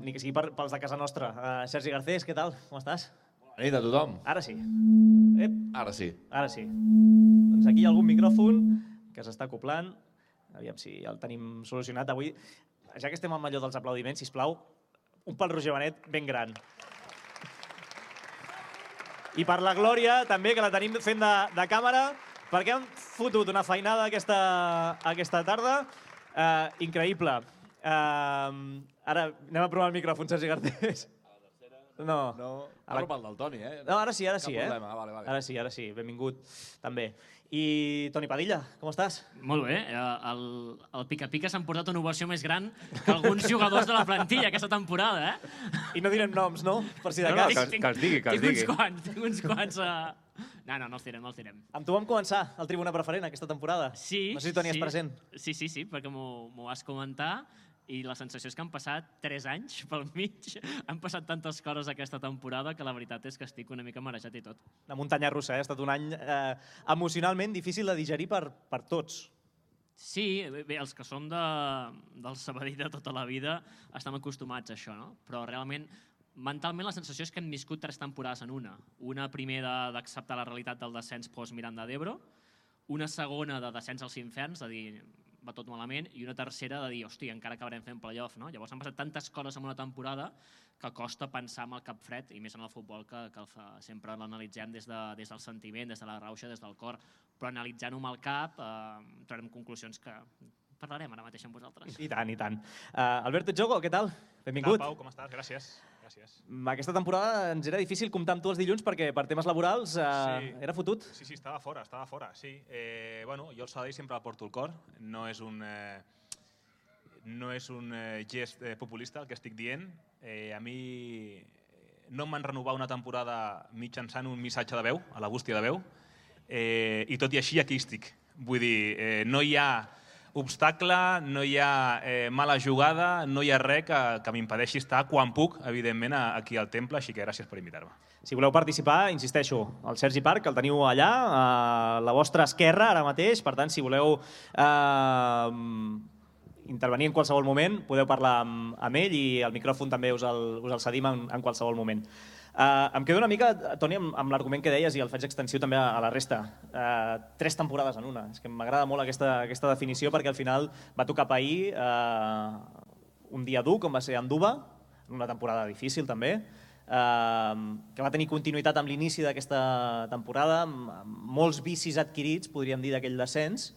Ni que sigui pels de casa nostra. Sergi Garcés, què tal? Com estàs? Bona nit a tothom. Ara sí. Ara sí. Ara sí. Doncs aquí hi ha algun micròfon que s'està acoplant. Aviam si el tenim solucionat avui. Ja que estem amb allò dels aplaudiments, sisplau, un pel Roger Benet ben gran. I per la Glòria, també, que la tenim fent de càmera, perquè han fotut una feinada aquesta tarda. Increïble. Ara anem a provar el micròfon, Sergi Garcés. No. Parlo pel del Toni, No, ara sí, Cap problema, vale. Ara sí, benvingut, també. I Toni Padilla, com estàs? Molt bé. El pica-pica s'han portat una ovació més gran que alguns jugadors de la plantilla aquesta temporada, I no direm noms, no? Per si de cas. Que els digui, que els digui. Tinc uns quants... No, els direm. Amb tu vam començar el Tribuna Preferent aquesta temporada. Sí. No sé si Toni és present. Sí, perquè m'ho vas comentar. I la sensació és que han passat 3 anys pel mig. Han passat tantes coses aquesta temporada que la veritat és que estic una mica marejat i tot. Una muntanya russa, Ha estat un any emocionalment difícil de digerir per tots. Sí, bé, els que som del Sabadell de tota la vida estem acostumats a això, no? Però realment, mentalment la sensació és que hem viscut 3 temporades en una. Una primera d'acceptar la realitat del descens post-Miranda d'Ebro, una segona de descens als inferns, de dir, va tot malament, i una tercera de dir, hòstia, encara acabarem fent playoff, no? Llavors han passat tantes coses en una temporada que costa pensar amb el cap fred, i més en el futbol, que sempre l'analitzem des del sentiment, des de la rauxa, des del cor, però analitzant-ho amb el cap trobem conclusions que parlarem ara mateix amb vosaltres. I tant. Alberto Jogo, què tal? Benvingut. Pau, com estàs? Gràcies. Aquesta temporada ens era difícil comptar amb tu els dilluns perquè per temes laborals era fotut. Sí, estava fora, sí. Bueno, jo el Sabadell sempre el porto al cor. No és un gest populista el que estic dient. A mi no em van renovar una temporada mitjançant un missatge de veu, a la bústia de veu, i tot i així aquí estic. Vull dir, no hi ha obstacle, no hi ha mala jugada, no hi ha res que m'impedeixi estar quan puc, evidentment, aquí al Temple, així que gràcies per invitar-me. Si voleu participar, insisteixo, el Sergi Parc el teniu allà, a la vostra esquerra ara mateix, per tant, si voleu intervenir en qualsevol moment, podeu parlar amb ell i el micròfon també us el cedim en qualsevol moment. Em quedo una mica, Toni, amb l'argument que deies i el faig extensiu també a la resta. 3 temporades en una. És que m'agrada molt aquesta definició perquè al final va tocar pair un dia dur, com va ser Anduba, en una temporada difícil també, que va tenir continuïtat amb l'inici d'aquesta temporada, amb molts vicis adquirits, podríem dir, d'aquell descens,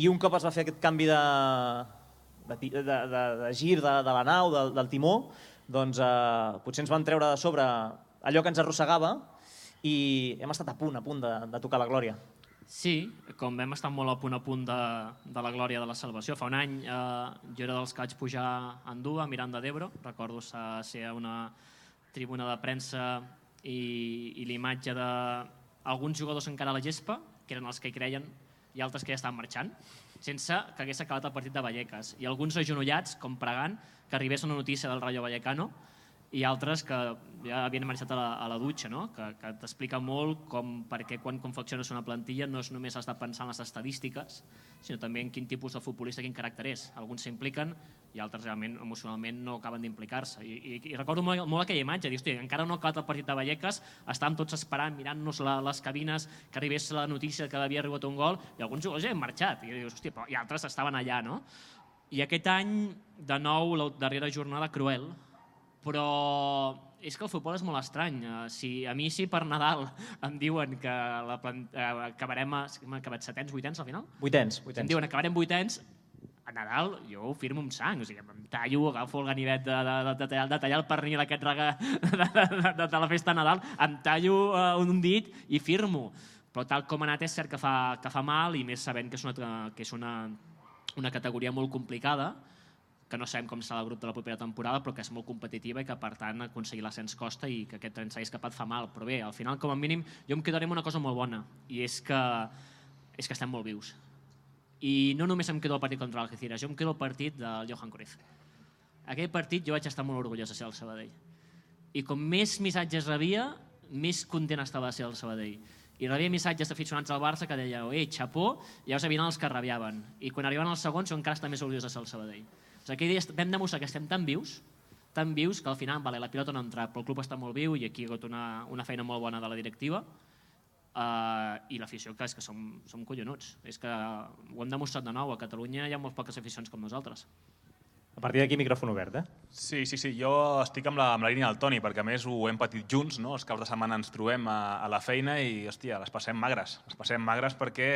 i un cop es va fer aquest canvi de gir de la nau, del timó, doncs potser ens van treure de sobre allò que ens arrossegava i hem estat a punt de tocar la glòria. Sí, com vam estar molt a punt de la glòria de la salvació. Fa un any jo era dels que vaig pujar a Andúa, a Miranda d'Ebro. Recordo ser a una tribuna de premsa i l'imatge d'alguns jugadors encara a la gespa, que eren els que hi creien, i altres que ja estaven marxant, sense que hagués acabat el partit de Vallecas. I alguns agenollats, com pregant, que arribés una notícia del Rayo Vallecano, i altres que ja havien marxat a la dutxa, no? Que t'explica molt perquè quan confecciones una plantilla no és només has de pensar en les estadístiques, sinó també en quin tipus de futbolista, quin caràcter és. Alguns s'impliquen i altres realment emocionalment no acaben d'implicar-se. I recordo molt aquella imatge, dius, encara no ha acabat el partit de Vallecas, estàvem tots esperant, mirant-nos les cabines, que arribés la notícia que havia arribat un gol, i alguns jugadors ja han marxat, i altres estaven allà, no? I aquest any, de nou, la darrera jornada cruel, però és que el futbol és molt estrany. A mi si per Nadal em diuen que acabarem setens, vuitens al final? Vuitens. Si em diuen acabarem vuitens, a Nadal jo ho firmo amb sang, o sigui, em tallo, agafo el ganivet de tallar el pernil aquest de la festa de Nadal, em tallo un dit i firmo. Però tal com ha anat és cert que fa mal, i més sabent que és una categoria molt complicada, que no sabem com serà el grup de la propera temporada, però que és molt competitiva i que, per tant, aconseguir l'ascens costa i que aquest tren s'hagi escapat fa mal. Però bé, al final, com a mínim, jo em quedaré amb una cosa molt bona, i és que estem molt vius. I no només em quedo el partit contra l'Algeciras, jo em quedo el partit del Johan Cruyff. Aquell partit jo vaig estar molt orgullós de ser el Sabadell. I com més missatges rebia, més content estava de ser el Sabadell. I rebia missatges d'aficionats al Barça que deia xapó, i llavors havien els que rabiaven. I quan arribaven els segons, jo encara estava més orgullós de ser el Sabadell. Aquell dia vam demostrar que estem tan vius que al final la pilota no ha entrat, però el club està molt viu i aquí hi ha hagut una feina molt bona de la directiva i l'afició, que és que som collonuts. És que ho hem demostrat de nou, a Catalunya hi ha molt poques aficions com nosaltres. A partir d'aquí, micròfon obert, Sí, jo estic amb la línia del Toni, perquè a més ho hem patit junts, no? Els caps de setmana ens trobem a la feina i, hòstia, les passem magres. Les passem magres perquè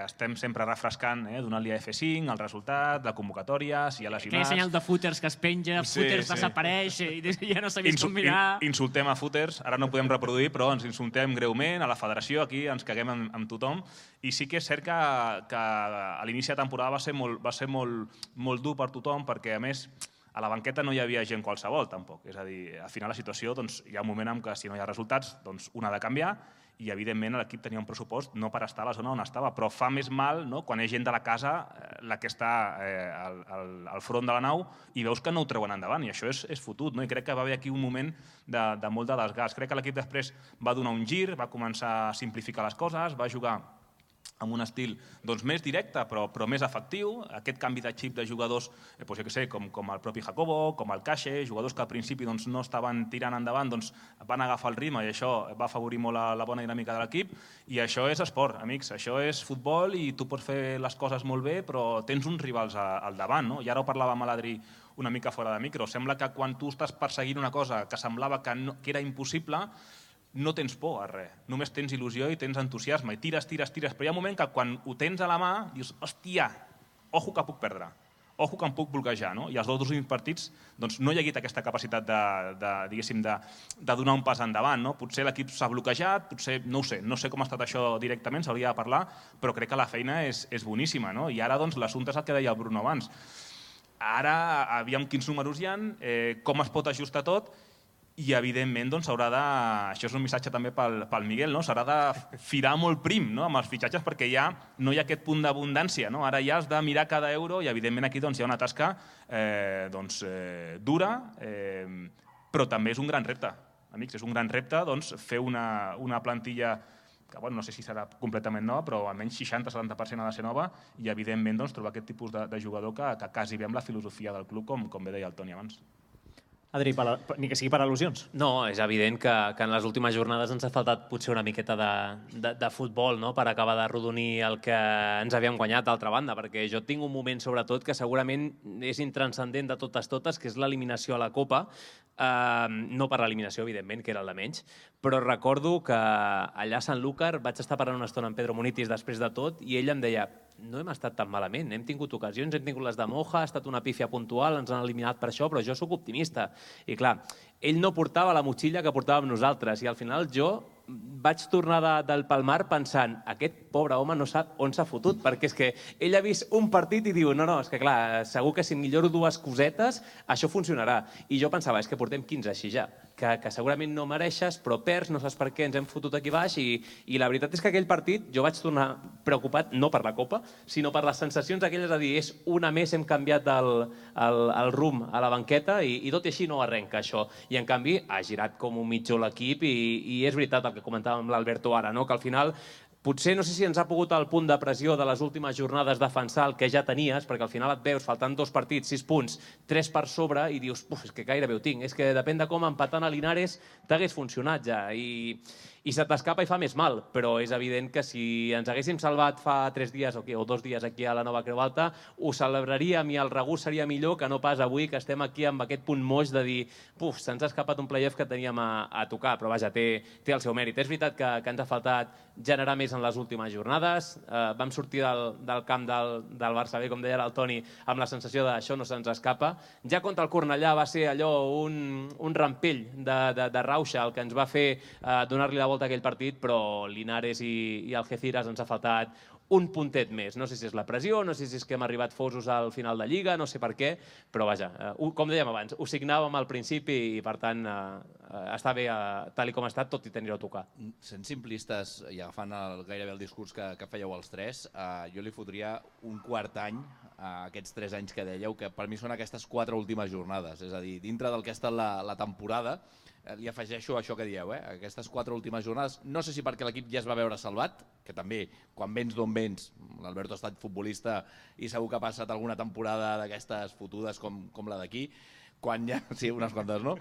estem sempre refrescant, donant-li a F5, el resultat, la convocatòria, si hi ha lesionats... Aquell senyal de footers que es penja, footers desapareix i ja no sabies com mirar... Insultem a footers, ara no podem reproduir, però ens insultem greument a la federació, aquí ens caguem amb tothom, i sí que és cert que a l'inici de temporada va ser molt dur per tothom, perquè a més a la banqueta no hi havia gent qualsevol tampoc, és a dir, al final la situació hi ha un moment en què si no hi ha resultats un ha de canviar i evidentment l'equip tenia un pressupost no per estar a la zona on estava, però fa més mal quan hi ha gent de la casa la que està al front de la nau i veus que no ho treuen endavant i això és fotut, i crec que va haver aquí un moment de molt de desgast. Crec que l'equip després va donar un gir, va començar a simplificar les coses, va jugar amb un estil més directe però més efectiu, aquest canvi de xip de jugadors, com el propi Jacobo, com el Cache, jugadors que al principi no estaven tirant endavant, van agafar el ritme i això va afavorir molt la bona dinàmica de l'equip i això és esport, amics, això és futbol i tu pots fer les coses molt bé però tens uns rivals al davant, i ara ho parlàvem a l'Adri una mica fora de micro, sembla que quan tu estàs perseguint una cosa que semblava que era impossible no tens por a res, només tens il·lusió i tens entusiasme, i tires, però hi ha un moment que quan ho tens a la mà dius, hòstia, ojo que puc perdre, ojo que em puc bloquejar, i els dos últims partits no hi ha hagut aquesta capacitat de donar un pas endavant, potser l'equip s'ha bloquejat, potser, no ho sé, no sé com ha estat això directament, s'hauria de parlar, però crec que la feina és boníssima, i ara l'assumpte és el que deia el Bruno abans, ara aviam quins números hi ha, com es pot ajustar tot, i evidentment s'haurà de, això és un missatge també pel Miguel, s'haurà de firar molt prim amb els fitxatges perquè ja no hi ha aquest punt d'abundància, ara ja has de mirar cada euro i evidentment aquí hi ha una tasca dura, però també és un gran repte, amics, és un gran repte fer una plantilla que no sé si serà completament nova, però almenys 60-70% ha de ser nova i evidentment trobar aquest tipus de jugador que quasi ve amb la filosofia del club, com bé deia el Toni abans. Adri, ni que sigui per al·lusions. No, és evident que en les últimes jornades ens ha faltat potser una miqueta de futbol per acabar de rodonir el que ens havíem guanyat d'altra banda, perquè jo tinc un moment sobretot que segurament és intranscendent de totes, que és l'eliminació a la Copa, no per l'eliminació, evidentment, que era el de menys, però recordo que allà a Sanlúcar vaig estar parlant una estona amb Pedro Munitis després de tot i ell em deia no hem estat tan malament, hem tingut ocasions, hem tingut les de Moja, ha estat una pífia puntual, ens han eliminat per això, però jo sóc optimista. I clar, ell no portava la motxilla que portàvem nosaltres i al final jo vaig tornar del Palmar pensant aquest pobre home no sap on s'ha fotut, perquè és que ell ha vist un partit i diu no, és que clar, segur que si milloro dues cosetes això funcionarà. I jo pensava, és que portem 15 així ja. que segurament no mereixes, però perds, no saps per què ens hem fotut aquí baix i la veritat és que aquell partit jo vaig tornar preocupat, no per la Copa, sinó per les sensacions aquelles de dir és una més, hem canviat el rumb a la banqueta i tot i així no arrenca això. I en canvi ha girat com un mitjó l'equip i és veritat el que comentàvem amb l'Alberto ara, que al final potser no sé si ens ha pogut al punt de pressió de les últimes jornades defensar el que ja tenies, perquè al final et veus faltant 2 partits, 6 punts, 3 per sobre i dius, és que gairebé ho tinc, és que depèn de com empatant a Linares t'hagués funcionat ja i se t'escapa i fa més mal, però és evident que si ens haguéssim salvat fa 3 dies o 2 dies aquí a la Nova Creu Alta, ho celebraríem i el regust seria millor que no pas avui que estem aquí amb aquest punt moix de dir se'ns ha escapat un playoff que teníem a tocar, però vaja, té el seu mèrit. És veritat que ens ha faltat generar més en les últimes jornades, vam sortir del camp del Barça B, com deia el Toni, amb la sensació d'això no se'ns escapa. Ja contra el Cornellà va ser allò un rampell de rauxa el que ens va fer donar-li la volta a aquell partit, però Linares i Algeciras ens ha faltat un puntet més. No sé si és la pressió, no sé si és que hem arribat fosos al final de Lliga, no sé per què, però vaja, com dèiem abans, ho signàvem al principi i per tant està bé tal com ha estat, tot i tenir-ho a tocar. Sent simplistes i agafant gairebé el discurs que fèieu els tres, jo li fotria un quart any a aquests 3 anys que dèieu, que per mi són aquestes 4 últimes jornades, és a dir, dintre del que ha estat la temporada, li afegeixo això que dieu, aquestes 4 últimes jornades, no sé si perquè l'equip ja es va veure salvat, que també, quan vens d'on vens, l'Alberto ha estat futbolista i segur que ha passat alguna temporada d'aquestes fotudes com la d'aquí, quan ja, sí, unes quantes, no?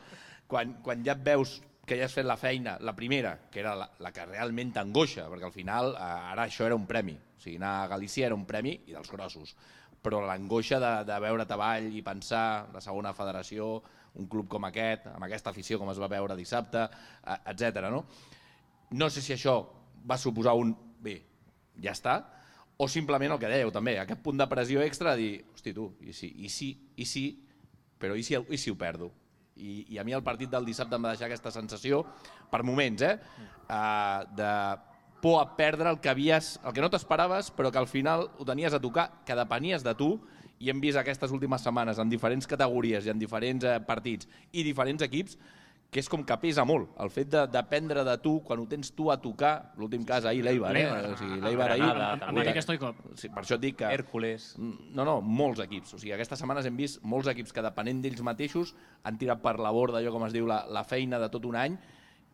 Quan ja et veus que ja has fet la feina, la primera, que era la que realment t'angoixa, perquè al final ara això era un premi, o sigui, anar a Galícia era un premi i dels grossos, però l'angoixa de veure't avall i pensar la segona federació, un club com aquest, amb aquesta afició com es va veure dissabte, etc. No sé si això va suposar bé, ja està, o simplement el que dèieu també, aquest punt de pressió extra de dir, hosti tu, i sí, però i si ho perdo? I a mi el partit del dissabte em va deixar aquesta sensació, per moments, de por a perdre el que no t'esperaves, però que al final ho tenies a tocar, que depenies de tu, i hem vist aquestes últimes setmanes en diferents categories i en diferents partits i diferents equips, que és com que pesa molt el fet de dependre de tu quan ho tens tu a tocar, l'últim cas ahir l'Eibar, l'Eibar ahir... Amèrica Stoikov. Per això et dic que... Hèrcules. No, molts equips. O sigui, aquestes setmanes hem vist molts equips que depenent d'ells mateixos han tirat per la borda allò com es diu la feina de tot un any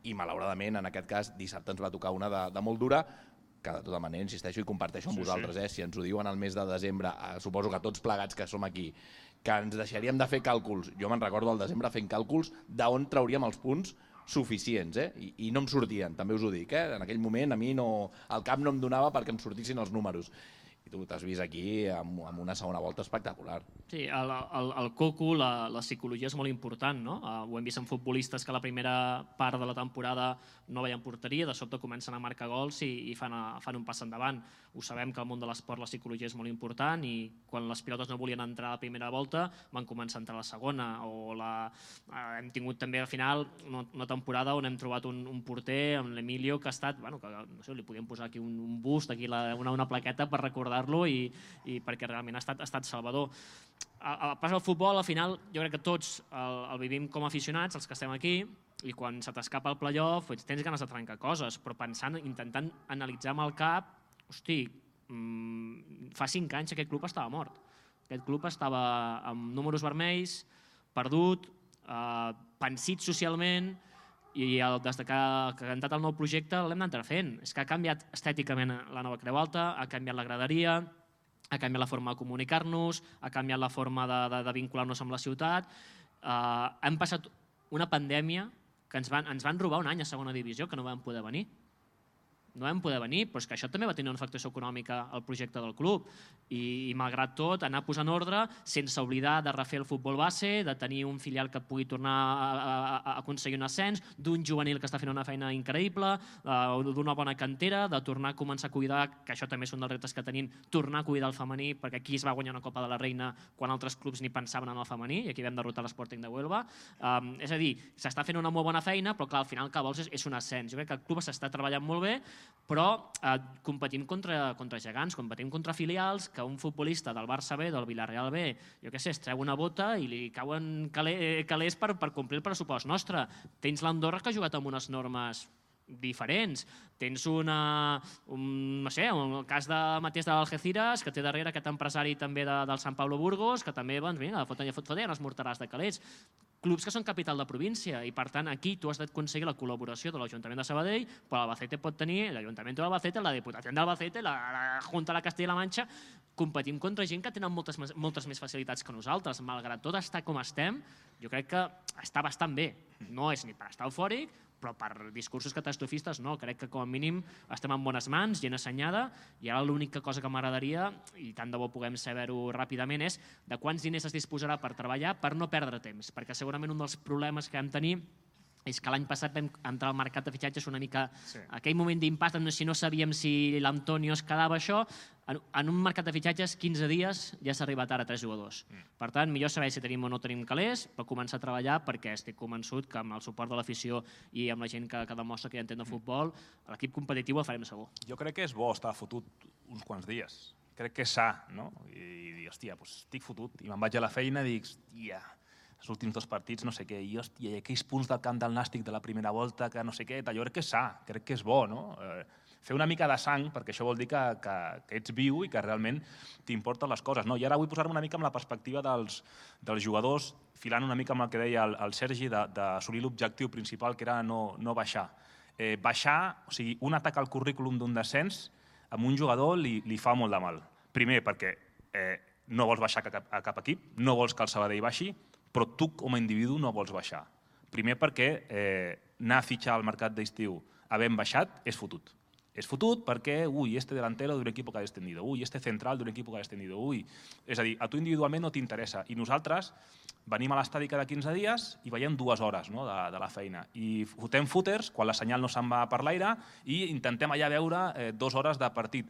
i malauradament en aquest cas dissabte ens va tocar una de molt dura, que de tota manera insisteixo i comparteixo amb vosaltres, si ens ho diuen al mes de desembre, suposo que tots plegats que som aquí, que ens deixaríem de fer càlculs, jo me'n recordo al desembre fent càlculs d'on trauríem els punts suficients, i no em sortien, també us ho dic, en aquell moment a mi el cap no em donava perquè em sortissin els números. I tu t'has vist aquí amb una segona volta espectacular. Sí, el coco, la psicologia és molt important, no? Ho hem vist en futbolistes que a la primera part de la temporada no veien porteria, de sobte comencen a marcar gols i fan un pas endavant. Ho sabem que al món de l'esport la psicologia és molt important i quan les pilotes no volien entrar a la primera volta van començar a entrar a la segona. Hem tingut també al final una temporada on hem trobat un porter, amb l'Emilio, que ha estat, que no sé, li podíem posar aquí un bust, aquí una plaqueta per recordar-lo i perquè realment ha estat salvador. El pas al futbol, al final, jo crec que tots el vivim com a aficionats, els que estem aquí, i quan se t'escapa el playoff tens ganes de trencar coses, però intentant analitzar amb el cap, hosti, fa 5 anys aquest club estava mort. Aquest club estava amb números vermells, perdut, pensit socialment, i des que ha cantat el nou projecte l'hem d'anar fent. És que ha canviat estèticament la Nova Creu Alta, ha canviat la graderia, ha canviat la forma de comunicar-nos, ha canviat la forma de vincular-nos amb la ciutat. Hem passat una pandèmia que ens van robar un any a segona divisió, que no vam poder venir. No vam poder venir, però és que això també va tenir una afectació econòmica al projecte del club. I malgrat tot, anar posant ordre sense oblidar de refer el futbol base, de tenir un filial que pugui tornar a aconseguir un ascens, d'un juvenil que està fent una feina increïble, d'una bona cantera, de tornar a començar a cuidar, que això també és un dels reptes que tenim, tornar a cuidar el femení, perquè aquí es va guanyar una Copa de la Reina quan altres clubs ni pensaven en el femení, i aquí vam derrotar l'Sporting de Huelva. És a dir, s'està fent una molt bona feina, però clar, al final el que vols és un ascens. Jo crec que el club s'està treballant molt bé, però competim contra gegants, competim contra filials, que un futbolista del Barça B, del Villarreal B, jo què sé, es treu una bota i li cauen calés per complir el pressupost nostre. Tens l'Andorra que ha jugat amb unes normes diferents. Tens un cas de Matías de l'Algeciras, que té darrere aquest empresari també del Sant Pablo Burgos, que també, foten els morterars de calés. Clubs que són capital de província i, per tant, aquí tu has d'aconseguir la col·laboració de l'Ajuntament de Sabadell, però l'Albacete pot tenir l'Ajuntament d'Albacete, la Diputació d'Albacete, la Junta de la Castilla-La Manxa. Competim contra gent que tenen moltes més facilitats que nosaltres. Malgrat tot estar com estem, jo crec que està bastant bé. No és ni per estar eufòric, però per discursos catastrofistes no. Crec que com a mínim estem en bones mans, gent assenyada, i ara l'única cosa que m'agradaria, i tant de bo puguem saber-ho ràpidament, és de quants diners es disposarà per treballar per no perdre temps, perquè segurament un dels problemes que vam tenir és que l'any passat vam entrar al mercat de fitxatges una mica aquell moment d'impàs, si no sabíem si l'Antonio es quedava això. En un mercat de fitxatges, 15 dies ja s'ha arribat ara a 3 jugadors. Per tant, millor saber si tenim o no tenim calés per començar a treballar, perquè estic convençut que amb el suport de l'afició i amb la gent que demostra que ja entén de futbol, l'equip competitiu el farem segur. Jo crec que és bo estar fotut uns quants dies. Crec que és sa, no? I dir, hòstia, estic fotut. I me'n vaig a la feina i dic, hòstia, els últims 2 partits, no sé què, i hòstia, aquells punts del camp del Nàstic de la primera volta, que no sé què, jo crec que és sa, crec que és bo, no? Fer una mica de sang, perquè això vol dir que ets viu i que realment t'importen les coses. I ara vull posar-me una mica amb la perspectiva dels jugadors, filant una mica amb el que deia el Sergi, d'assolir l'objectiu principal, que era no baixar. Baixar, o sigui, un atac al currículum d'un descens, amb un jugador li fa molt de mal. Primer, perquè no vols baixar a cap equip, no vols que el Sabadell baixi, però tu com a individu no vols baixar. Primer perquè anar a fitxar al mercat d'estiu havent baixat és fotut. És fotut perquè, este delantero d'un equip que ha descendido, este central d'un equip que ha descendido, És a dir, a tu individualment no t'interessa. I nosaltres venim a l'estadi cada 15 dies i veiem 2 hores de la feina. I fotem footers quan la senyal no se'n va per l'aire i intentem allà veure 2 hores de partit.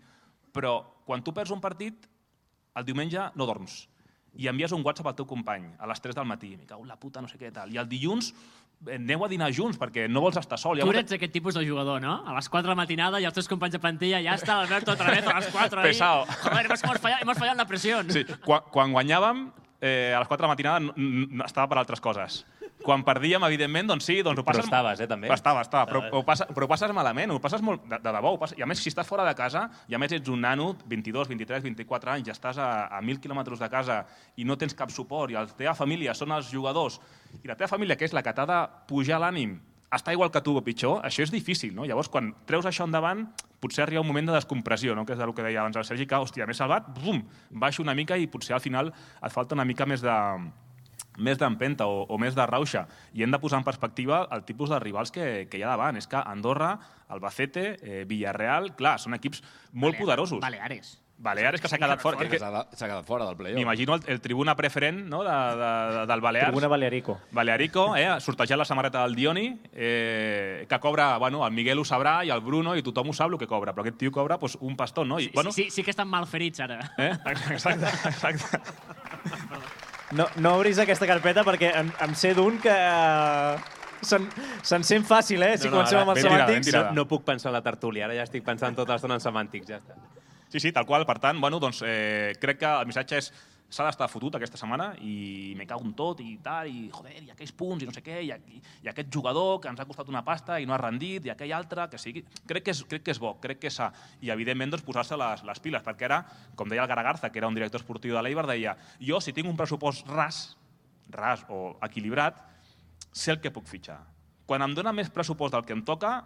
Però quan tu perds un partit, el diumenge no dorms. I envies un WhatsApp al teu company a les 3 del matí, me cago en la puta, no sé què tal. I el dilluns aneu a dinar junts perquè no vols estar sol. Tu ets aquest tipus de jugador, no? A les 4 de la matinada i els teus companys de plantilla ja està l'Alberto otra vez a les 4 ahí. Pesado. Joder, hemos fallado en la presión. Sí, quan guanyàvem, a les 4 de la matinada estava per altres coses. Quan perdíem, evidentment, doncs sí, doncs ho passes... Però estaves, també? Estava, però ho passes malament, ho passes molt, de debò. I a més, si estàs fora de casa, i a més ets un nano, 22, 23, 24 anys, ja estàs a 1.000 quilòmetres de casa i no tens cap suport, i la teva família són els jugadors, i la teva família, que és la que t'ha de pujar l'ànim, està igual que tu o pitjor, això és difícil, no? Llavors, quan treus això endavant, potser arriba un moment de descompressió, no? Que és el que deia abans el Sergi, que, hòstia, m'he salvat, bum, baixo una mica i potser al final et falta una mica més d'empenta o més de rauxa. I hem de posar en perspectiva el tipus de rivals que hi ha davant. És que Andorra, Albacete, Villarreal, clar, són equips molt poderosos. Baleares, que s'ha quedat fora. S'ha quedat fora del play-off. M'imagino el tribuna preferent del Balears. Tribuna Balearico. Balearico, sortejant la samarreta del Dioni, que cobra, el Miguel ho sabrà i el Bruno, i tothom ho sap el que cobra, però aquest tio cobra un pastó, no? Sí que estan mal ferits ara. Exacte. No obris aquesta carpeta perquè em sé d'un que se'n sent fàcil, si comencem amb els semàntics. No puc pensar en la tertúlia, ara ja estic pensant tota l'estona en semàntics, ja està. Sí, tal qual. Per tant, crec que el missatge és s'ha d'estar fotut aquesta setmana i me cago en tot i tal, i joder, i aquells punts i no sé què, i aquest jugador que ens ha costat una pasta i no ha rendit, i aquell altre, que sigui... Crec que és bo, crec que és sa. I, evidentment, posar-se les piles, perquè ara, com deia el Garagarza, que era un director esportiu de l'Eibar, deia, jo, si tinc un pressupost ras o equilibrat, sé el que puc fitxar. Quan em dona més pressupost del que em toca,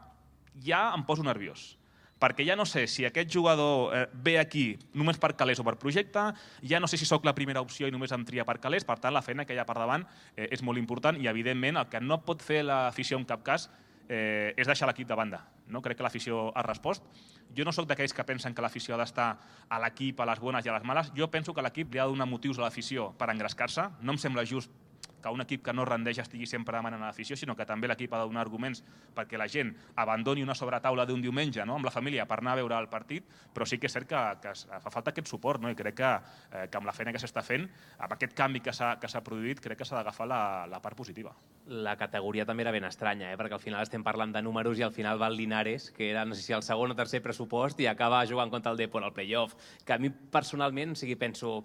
ja em poso nerviós. Perquè ja no sé si aquest jugador ve aquí només per calés o per projecte, ja no sé si sóc la primera opció i només em tria per calés, per tant la feina que hi ha per davant és molt important i evidentment el que no pot fer l'afició en cap cas és deixar l'equip de banda. Crec que l'afició ha respost. Jo no sóc d'aquells que pensen que l'afició ha d'estar a l'equip, a les bones i a les males. Jo penso que l'equip li ha de donar motius a l'afició per engrescar-se. No em sembla just que un equip que no rendeix estigui sempre demanant a l'afició, sinó que també l'equip ha de donar arguments perquè la gent abandoni una sobretaula d'un diumenge amb la família per anar a veure el partit, però sí que és cert que fa falta aquest suport, i crec que amb la feina que s'està fent, amb aquest canvi que s'ha produït, crec que s'ha d'agafar la part positiva. La categoria també era ben estranya, perquè al final estem parlant de números i al final va el Linares, que era, no sé si el segon o tercer pressupost, i acaba jugant contra el Depor al playoff, que a mi personalment, penso,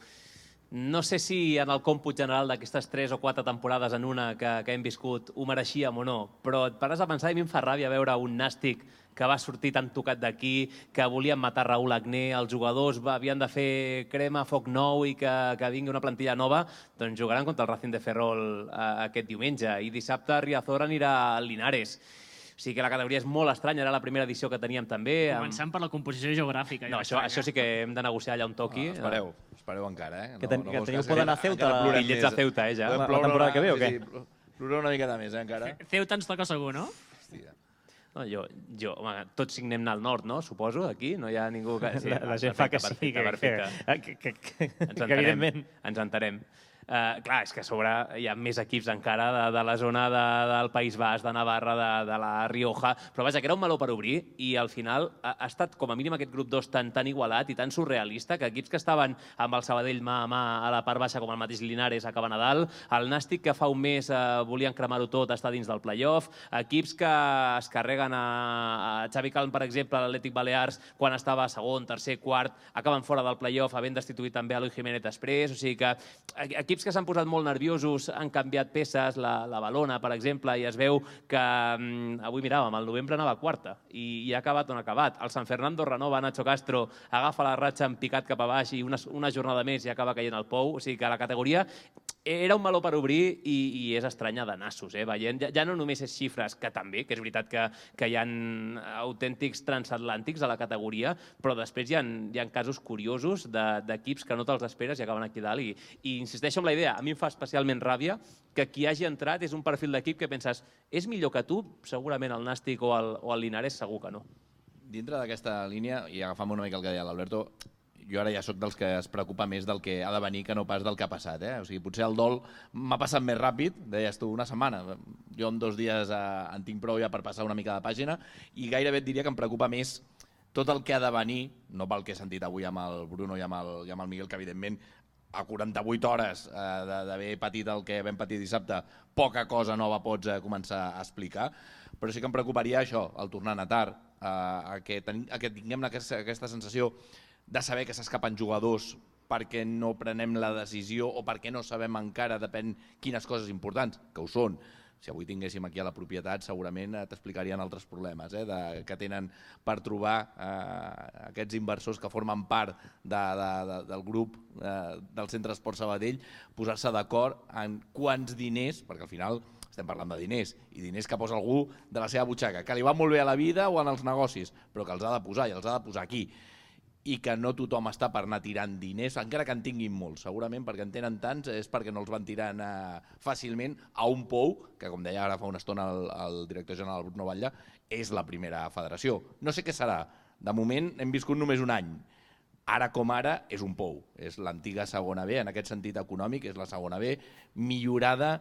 no sé si en el còmput general d'aquestes 3 o 4 temporades en una que hem viscut ho mereixíem o no, però et pares a pensar i a mi em fa ràbia veure un Nàstic que va sortir tan tocat d'aquí, que volien matar Raúl Agné, els jugadors havien de fer crema, foc nou i que vingui una plantilla nova, doncs jugaran contra el Racing de Ferrol aquest diumenge i dissabte Riazor anirà al Linares. O sigui que la categoria és molt estranya, era la primera edició que teníem també. Començant per la composició geogràfica. No, això sí que hem de negociar allà on toqui. Espereu encara, Que teniu por d'anar a Ceuta. Bitllets a Ceuta, ja. La temporada que ve o què? Ploreu una miqueta més, encara. Ceuta ens toca segur, no? Hòstia. Home, tots signem al nord, no? Suposo, aquí, no hi ha ningú que... La gent fa que sí, que evidentment. Ens entenem. Clar, és que a sobre hi ha més equips encara de la zona del País Basc, de Navarra, de la Rioja, però vaja, que era un meló per obrir i al final ha estat com a mínim aquest grup 2 tan igualat i tan surrealista que equips que estaven amb el Sabadell mà a mà a la part baixa, com el mateix Linares acaben a dalt, el Nàstic que fa un mes volien cremar-ho tot, està dins del playoff, equips que es carreguen a Xavi Calm, per exemple, l'Atlètic Balears, quan estava segon, tercer, quart, acaben fora del playoff, havent destituït també a Eloi Jiménez després, o sigui que equips que s'han posat molt nerviosos, han canviat peces, la Balona, per exemple, i es veu que avui miràvem, el novembre anava a quarta i ha acabat on ha acabat. El San Fernando renova, Nacho Castro agafa la ratxa en picat cap a baix i una jornada més i acaba caient al pou. O sigui que la categoria era un meló per obrir i és estranya de nassos, veient. Ja no només és xifres, que també, que és veritat que hi ha autèntics transatlàntics a la categoria, però després hi ha casos curiosos d'equips que no te'ls esperes i acaben aquí dalt. I insisteixo en la idea, a mi em fa especialment ràbia que qui hagi entrat és un perfil d'equip que penses és millor que tu? Segurament el Nàstic o el Linares segur que no. Dintre d'aquesta línia, i agafant una mica el que deia l'Alberto, jo ara ja soc dels que es preocupa més del que ha de venir que no pas del que ha passat. O sigui, potser el dol m'ha passat més ràpid, deies tu, una setmana. Jo en 2 dies en tinc prou ja per passar una mica de pàgina i gairebé et diria que em preocupa més tot el que ha de venir, no pel que he sentit avui amb el Bruno i amb el Miguel, que evidentment a 48 hores d'haver patit el que vam patir dissabte, poca cosa nova pots començar a explicar, però sí que em preocuparia això, el tornar a tard, que tinguem aquesta sensació de saber que s'escapen jugadors perquè no prenem la decisió o perquè no sabem encara, depèn quines coses importants, que ho són. Si avui tinguéssim aquí a la propietat segurament t'explicarien altres problemes que tenen per trobar aquests inversors que formen part del grup del Centre Esport Sabadell, posar-se d'acord en quants diners, perquè al final estem parlant de diners, i diners que posa algú de la seva butxaca, que li va molt bé a la vida o en els negocis, però que els ha de posar i els ha de posar aquí. I que no tothom està per anar tirant diners, encara que en tinguin molts, segurament perquè en tenen tants és perquè no els van tirant fàcilment a un pou, que com deia ara fa una estona el director general Bruno Batlle, és la primera federació. No sé què serà, de moment hem viscut només un any, ara com ara és un pou, és l'antiga segona B, en aquest sentit econòmic és la segona B, millorada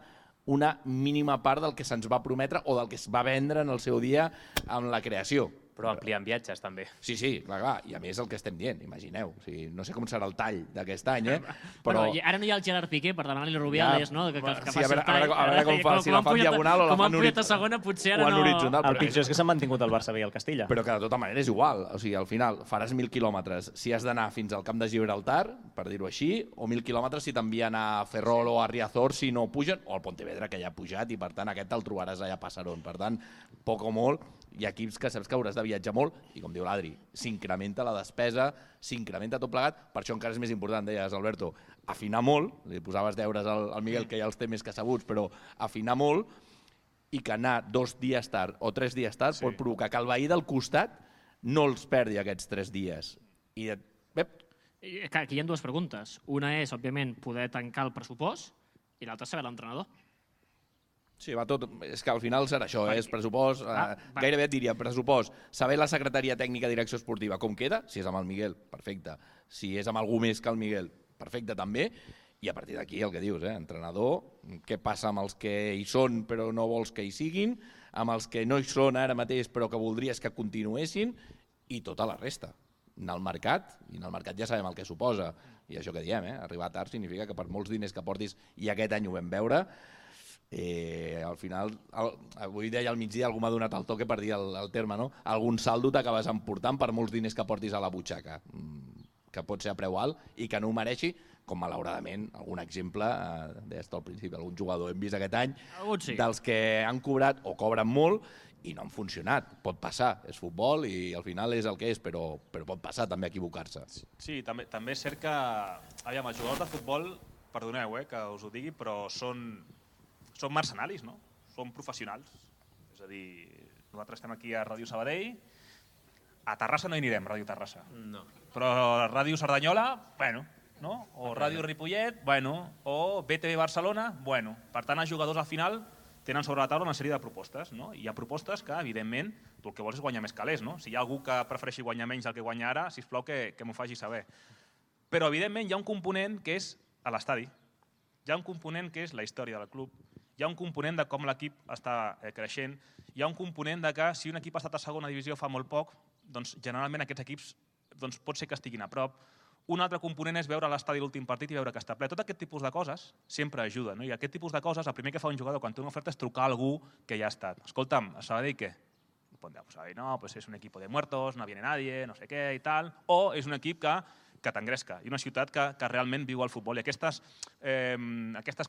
una mínima part del que se'ns va prometre o del que es va vendre en el seu dia amb la creació. Però ampliant viatges, també. Sí, clar, i a més el que estem dient, imagineu. No sé com serà el tall d'aquest any, però... Ara no hi ha el Gerard Piqué per demanar-li a Rubiales, no? Que faci el tall. A veure com fa, si la fa en diagonal o la fa en horitzontal. El pitjor és que s'han mantingut el Barça B i el Castilla. Però que de tota manera és igual. O sigui, al final faràs 1.000 quilòmetres si has d'anar fins al camp de Gibraltar, per dir-ho així, o 1.000 quilòmetres si t'envien a Ferrol o a Riazor si no pugen, o al Pontevedra, que ja ha pujat, i per tant aquest te'l trobaràs allà a Passaron. Per tant, poc o molt, hi ha equips que saps que hauràs de viatjar molt i, com diu l'Adri, s'incrementa la despesa, s'incrementa tot plegat, per això encara és més important, deies, Alberto, afinar molt, li posaves deures al Miguel, que ja els té més que sabuts, però afinar molt, i que anar 2 dies tard o 3 dies tard pot provocar que el veí del costat no els perdi aquests 3 dies. I aquí hi ha 2 preguntes. Una és, òbviament, poder tancar el pressupost i l'altra saber l'entrenador. Sí, va tot. És que al final serà això, és pressupost, gairebé et diria pressupost, saber la secretaria tècnica de direcció esportiva com queda, si és amb el Miguel, perfecte, si és amb algú més que el Miguel, perfecte també, I a partir d'aquí, el que dius, entrenador, què passa amb els que hi són però no vols que hi siguin, amb els que no hi són ara mateix però que voldries que continuessin, i tota la resta. Anar al mercat, i en el mercat ja sabem el que suposa, i això que diem, arribar tard significa que per molts diners que portis, i aquest any ho vam veure, al final, avui deia al migdia, algú m'ha donat el toque per dir el terme, no? Algun saldo t'acabes emportant per molts diners que portis a la butxaca, que pot ser a preu alt i que no ho mereixi, com malauradament algun exemple, deies al principi, algun jugador hem vist aquest any, dels que han cobrat o cobren molt i no han funcionat. Pot passar, és futbol i al final és el que és, però pot passar també equivocar-se. Sí, també és cert que aviam, els jugadors de futbol, perdoneu que us ho digui, però són mercenaris, no? Són professionals. És a dir, nosaltres estem aquí a Ràdio Sabadell, a Terrassa no hi anirem, Ràdio Terrassa. No. Però a Ràdio Cerdanyola, bueno, no? O Ràdio Ripollet, bueno, o BTV Barcelona, bueno. Per tant, els jugadors al final tenen sobre la taula una sèrie de propostes, no? I hi ha propostes que, evidentment, tu el que vols és guanyar més calés, no? Si hi ha algú que prefereixi guanyar menys del que guanya ara, sisplau que m'ho faci saber. Però, evidentment, hi ha un component que és a l'estadi. Hi ha un component que és la història del club. Hi ha un component de com l'equip està creixent. Hi ha un component de que si un equip ha estat a segona divisió fa molt poc, doncs generalment aquests equips pot ser que estiguin a prop. Un altre component és veure l'estadi l'últim partit i veure que està ple. Tot aquest tipus de coses sempre ajuda. I aquest tipus de coses, el primer que fa un jugador quan té una oferta és trucar a algú que ja ha estat. Escolta'm, a Sabadell què? Sabadell no, és un equip de muertos, no viene nadie, no sé què i tal. O és un equip que t'engresca i una ciutat que realment viu el futbol. I aquestes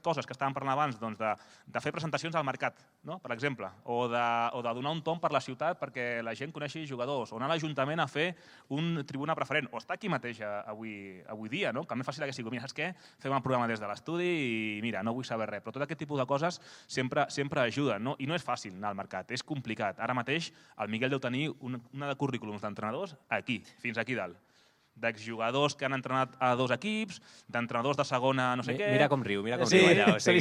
coses que estàvem parlant abans, de fer presentacions al mercat, per exemple, o de donar un tomb per la ciutat perquè la gent coneixi jugadors, o anar a l'Ajuntament a fer un tribuna preferent, o estar aquí mateix avui dia, que el més fàcil hagués sigut, mira, saps què? Fem el programa des de l'estudi i mira, no vull saber res, però tot aquest tipus de coses sempre ajuden, i no és fàcil anar al mercat, és complicat. Ara mateix el Miquel deu tenir una de currículums d'entrenadors aquí, fins aquí dalt, d'exjugadors que han entrenat a 2 equips, d'entrenadors de segona no sé què... Mira com riu allà. S'ha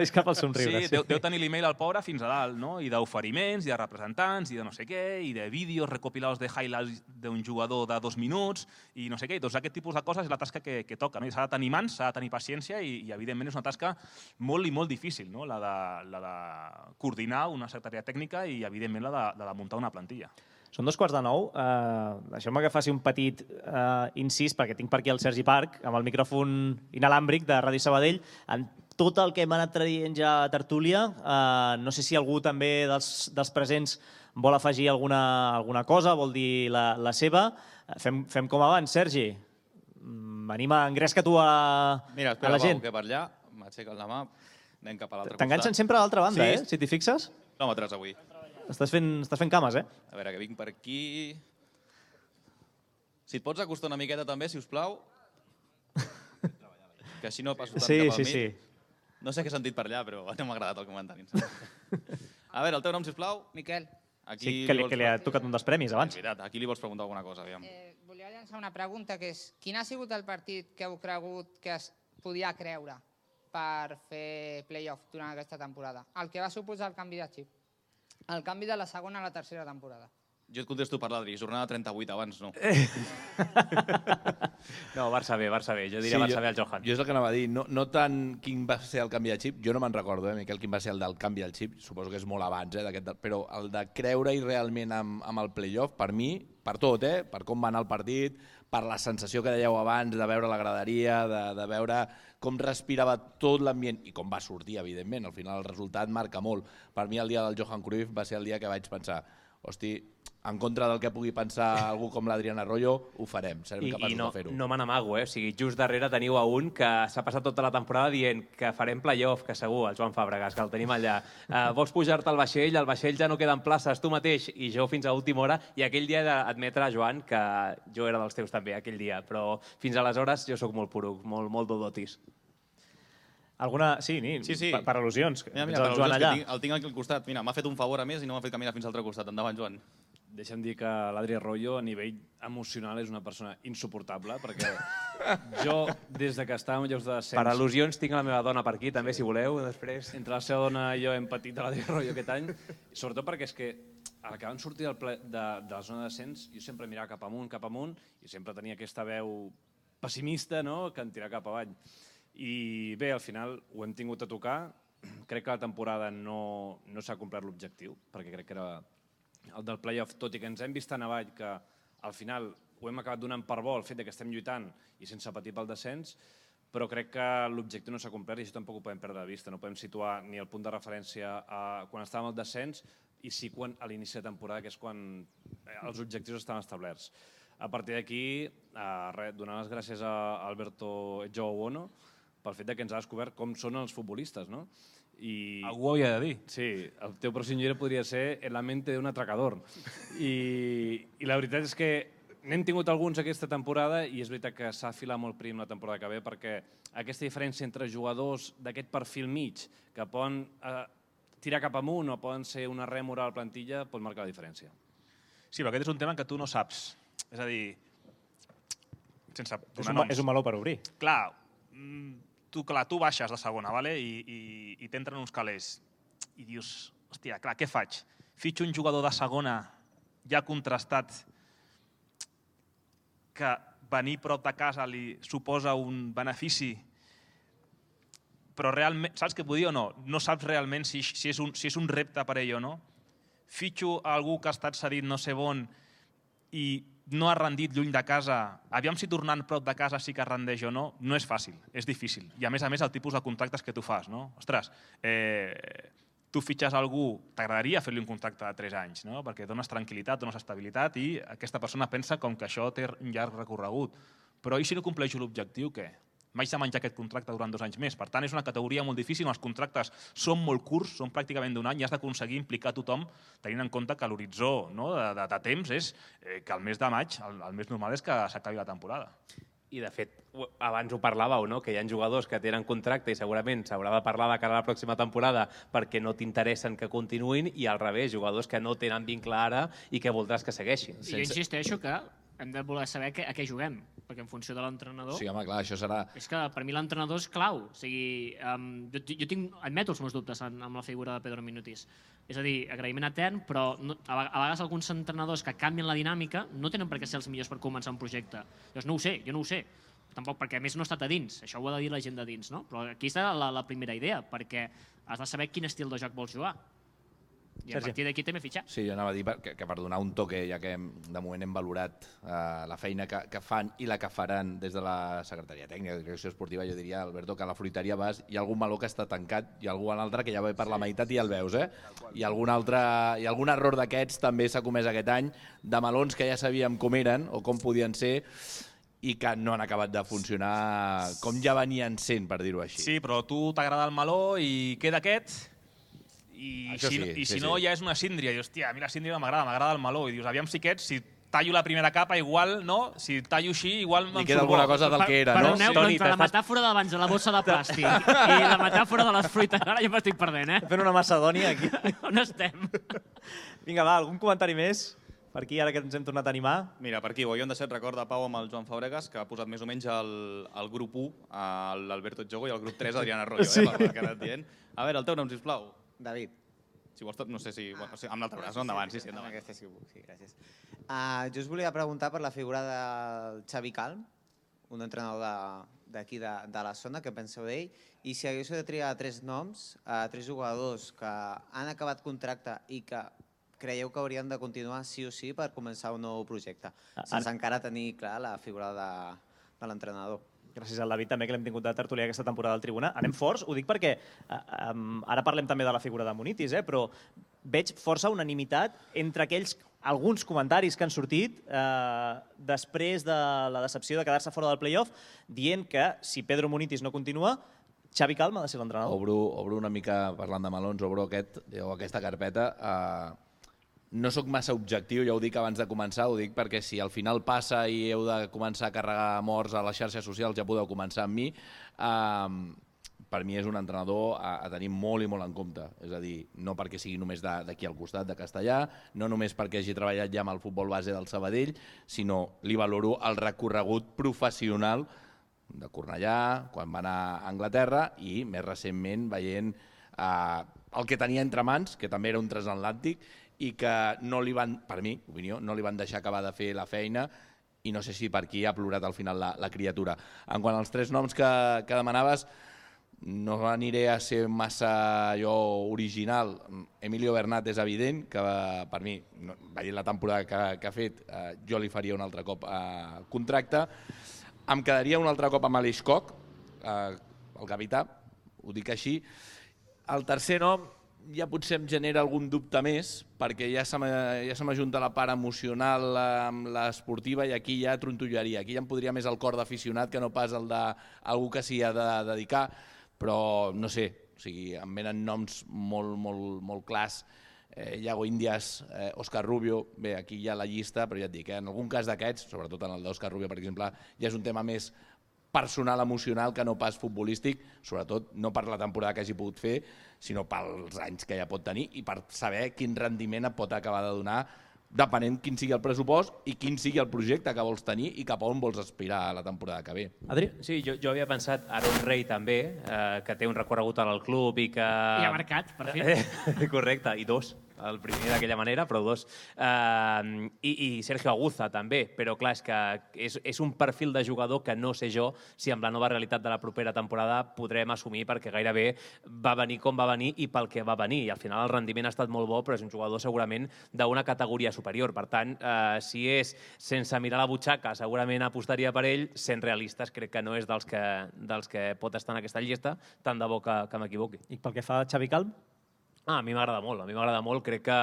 vist cap al somriure. Sí, deu tenir l'email al pobre fins a dalt, i d'oferiments, i de representants, i de no sé què, i de vídeos recopilados de highlights d'un jugador de 2 minuts, i no sé què. Doncs aquest tipus de coses és la tasca que toca. S'ha de tenir mans, s'ha de tenir paciència, i evidentment és una tasca molt i molt difícil, la de coordinar una secretaria tècnica i evidentment la de muntar una plantilla. Són 8:45. Deixeu-me que faci un petit incís, perquè tinc per aquí el Sergi Parc, amb el micròfon inalàmbric de Ràdio Sabadell. En tot el que hem anat traient ja a tertúlia, no sé si algú també dels presents vol afegir alguna cosa, vol dir la seva. Fem com abans, Sergi. Anima, engresca tu a la gent. Mira, espera, Pau, que per allà m'aixequen la mà, anem cap a l'altre costat. T'enganxen sempre a l'altra banda, si t'hi fixes? Quilòmetres avui. Estàs fent cames, A veure, que vinc per aquí... Si et pots acostar una miqueta també, si us plau. Que així no passo tant cap al mig. Sí. No sé què he sentit per allà, però no m'ha agradat el comentari. A veure, el teu nom, si us plau? Miquel. Sí, que li ha tocat un dels premis abans. És veritat, aquí li vols preguntar alguna cosa, aviam. Volia llançar una pregunta, que és quin ha sigut el partit que heu cregut que es podia creure per fer play-off durant aquesta temporada? El que va suposar el canvi de xip. El canvi de la segona a la tercera temporada. Jo et contesto per l'Adri, jornada 38 abans, no. No, Barça B. Jo diria Barça B al Johan. Jo és el que anava a dir, no tant quin va ser el canvi de xip, jo no me'n recordo, Miquel, quin va ser el del canvi del xip, suposo que és molt abans, però el de creure-hi realment amb el play-off, per mi, per tot, per com va anar el partit, per la sensació que dèieu abans de veure la graderia, de veure com respirava tot l'ambient i com va sortir, evidentment. Al final el resultat marca molt. Per mi el dia del Johan Cruyff va ser el dia que vaig pensar, hosti, en contra del que pugui pensar algú com l'Adrián Arroyo, ho farem, serem capaços de fer-ho. I no me n'amago, o sigui, just darrere teniu a un que s'ha passat tota la temporada dient que farem play-off, que segur, el Joan Fàbregas, que el tenim allà. Vols pujar-te al vaixell ja no queden places, tu mateix, i jo fins a última hora, i aquell dia he d'admetre, Joan, que jo era dels teus també, aquell dia, però fins aleshores jo sóc molt poruc, molt dodotis. Alguna... Sí, per al·lusions. Mira, per al·lusions, el tinc aquí al costat. Mira, m'ha fet un favor a més i no m'ha fet caminar fins al altre costat. Endavant, Joan. Deixa'm dir que l'Adri Arroyo a nivell emocional és una persona insuportable, perquè jo, des de que estàvem en llocs de descens... Per al·lusions tinc la meva dona per aquí, també, si voleu, després. Entre la seva dona i jo hem patit de l'Adri Arroyo aquest any, sobretot perquè és que a la que van sortir de la zona de descens, jo sempre mirava cap amunt, i sempre tenia aquesta veu pessimista, que em tirava cap avall. I bé, al final ho hem tingut a tocar. Crec que la temporada no s'ha complert l'objectiu, perquè crec que era el del play-off, tot i que ens hem vist tan avall que al final ho hem acabat donant per bo el fet que estem lluitant i sense patir pel descens, però crec que l'objectiu no s'ha complert i això tampoc ho podem perdre de vista. No podem situar ni el punt de referència quan estàvem al descens i sí a l'inici de temporada, que és quan els objectius estan establerts. A partir d'aquí, donar les gràcies a Alberto Joaono pel fet que ens ha descobert com són els futbolistes, no? Algú ho havia de dir. Sí, el teu pròxim llibre podria ser El la mente d'un atracador. I la veritat és que n'hem tingut alguns aquesta temporada i és veritat que s'ha afilat molt prim la temporada que ve perquè aquesta diferència entre jugadors d'aquest perfil mig que poden tirar cap amunt o poden ser una rèmora a la plantilla pot marcar la diferència. Sí, però aquest és un tema que tu no saps. És a dir, sense donar noms. És un meló per obrir. Clar, tu baixes de segona i t'entren uns calés i dius, hòstia, clar, què faig? Fitxo un jugador de segona ja contrastat que venir prop de casa li suposa un benefici, però realment, saps què vull dir o no? No saps realment si és un repte per ell o no. Fitxo algú que ha estat cedit no sé on i no ha rendit lluny de casa, aviam si tornant prop de casa sí que rendeix o no, no és fàcil, és difícil. I a més el tipus de contractes que tu fas, no? Ostres, tu fitxes algú, t'agradaria fer-li un contracte de 3 anys, no? Perquè dones tranquil·litat, dones estabilitat i aquesta persona pensa com que això té un llarg recorregut. Però i si no compleixo l'objectiu, què? M'haig de menjar aquest contracte durant 2 anys més. Per tant, és una categoria molt difícil, els contractes són molt curts, són pràcticament d'1 any i has d'aconseguir implicar tothom tenint en compte que l'horitzó de temps és que el mes de maig, el més normal és que s'acabi la temporada. I, de fet, abans ho parlàveu, no? Que hi ha jugadors que tenen contracte i segurament s'haurà de parlar de cara a la pròxima temporada perquè no t'interessen que continuïn i al revés, jugadors que no tenen vincle ara i que voldràs que segueixin. I jo insisteixo que hem de voler saber a què juguem, perquè en funció de l'entrenador... Sí, home, clar, això serà... És que per mi l'entrenador és clau. O sigui, jo admeto els meus dubtes amb la figura de Pedro Minutis. És a dir, agraïment etern, però a vegades alguns entrenadors que canvien la dinàmica no tenen per què ser els millors per començar un projecte. Llavors no ho sé, jo no ho sé. Tampoc perquè a més no he estat a dins, això ho ha de dir la gent de dins, no? Però aquí està la primera idea, perquè has de saber quin estil de joc vols jugar. I a partir d'aquí també fitxar. Sí, jo anava a dir que per donar un toque, ja que de moment hem valorat la feina que fan i la que faran des de la Secretaria Tècnica de Direcció Esportiva, jo diria, Alberto, que a la fruiteria vas, hi ha algun meló que està tancat i algun altre que ja ve per la meitat i ja el veus, eh? I algun error d'aquests també s'ha comès aquest any, de melons que ja sabíem com eren o com podien ser i que no han acabat de funcionar com ja venien sent, per dir-ho així. Sí, però a tu t'agrada el meló i queda aquest... I si no, ja és una síndria. I, hòstia, a mi la síndria m'agrada el meló. I dius, aviam si aquests, si tallo la primera capa, igual, no? Si tallo així, igual me'n surt bo. Li queda alguna cosa del que era, no? Perdoneu, però entre la metàfora d'abans de la bossa de plàstic i la metàfora de les fruites, ara jo m'estic perdent, eh? Fent una macedònia aquí. On estem? Vinga, va, algun comentari més? Per aquí, ara que ens hem tornat a animar. Mira, per aquí, ho havíem deixat record de Pau amb el Joan Fabregas, que ha posat més o menys el grup 1, l'Alberto Jogo, i el grup 3, Adriana Arroyo, pel que ha anat dient. A veure, el teu nom, sisplau. David. Si vols, no sé si... Amb l'altre braç, endavant, sí, endavant. Aquesta sí que puc, sí, gràcies. Jo us volia preguntar per la figura del Xavi Calm, un entrenador d'aquí de la zona, què penseu d'ell? I si haguéssiu de triar 3 noms, 3 jugadors que han acabat contracte i que creieu que haurien de continuar sí o sí per començar un nou projecte, sense encara tenir clar la figura de l'entrenador. Gràcies al David també, que l'hem tingut de tertulià aquesta temporada al Tribuna. Anem forts, ho dic perquè ara parlem també de la figura de Munitis, però veig força unanimitat entre alguns comentaris que han sortit després de la decepció de quedar-se fora del play-off, dient que si Pedro Munitis no continua, Xavi Calm ha de ser l'entrenador. Obro una mica, parlant de melons, obro aquesta carpeta. No sóc massa objectiu, ja ho dic abans de començar, ho dic perquè si al final passa i heu de començar a carregar morts a les xarxes socials, ja podeu començar amb mi. Per mi és un entrenador a tenir molt i molt en compte. És a dir, no perquè sigui només d'aquí al costat de Castellà, no només perquè hagi treballat ja amb el futbol base del Sabadell, sinó li valoro el recorregut professional de Cornellà, quan va anar a Anglaterra, i més recentment veient el que tenia entre mans, que també era un transatlàntic, i que no li van, per mi, opinió, no li van deixar acabar de fer la feina i no sé si per aquí ha plorat al final la criatura. En quant als 3 noms que demanaves, no aniré a ser massa original. Emilio Bernat és evident, que per mi, veient la temporada que ha fet, jo li faria un altre cop contracte. Em quedaria un altre cop amb Aleix Koch, el capità, ho dic així. El tercer nom ja potser em genera algun dubte més, perquè ja se m'ajunta la part emocional amb l'esportiva i aquí ja trontollaria. Aquí ja em podria més el cor d'aficionat que no pas el d'algú que s'hi ha de dedicar, però no sé, em venen noms molt clars. Iago Índias, Òscar Rubio, bé, aquí hi ha la llista, però ja et dic, en algun cas d'aquests, sobretot en el d'Òscar Rubio, per exemple, ja és un tema més personal, emocional, que no pas futbolístic, sobretot no per la temporada que hagi pogut fer, sinó pels anys que ja pot tenir i per saber quin rendiment et pot acabar de donar depenent quin sigui el pressupost i quin sigui el projecte que vols tenir i cap a on vols aspirar a la temporada que ve. Adri? Sí, jo havia pensat Aaron Rey també, que té un recorregut al club i que... I ha marcat, per fi. Correcte, i 2. El primer d'aquella manera, però 2. I Sergio Aguza també, però clar, és que és un perfil de jugador que no sé jo si amb la nova realitat de la propera temporada podrem assumir, perquè gairebé va venir com va venir i pel que va venir. I al final el rendiment ha estat molt bo, però és un jugador segurament d'una categoria superior. Per tant, si és sense mirar la butxaca, segurament apostaria per ell. Sent realistes, crec que no és dels que pot estar en aquesta llista, tant de bo que m'equivoqui. I pel que fa a Xavi Calm? A mi m'agrada molt. Crec que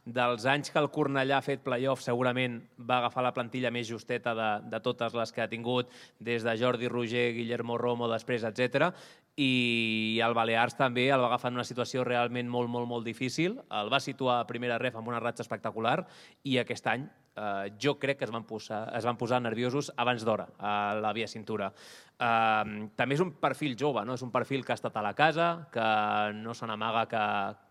dels anys que el Cornellà ha fet play-off segurament va agafar la plantilla més justeta de totes les que ha tingut, des de Jordi Roger, Guillermo Romo, després, etc. I el Balears també el va agafar en una situació realment molt difícil. El va situar a primera ref amb una ratxa espectacular i aquest any jo crec que es van posar nerviosos abans d'hora a la via cintura. També és un perfil jove, és un perfil que ha estat a la casa, que no se n'amaga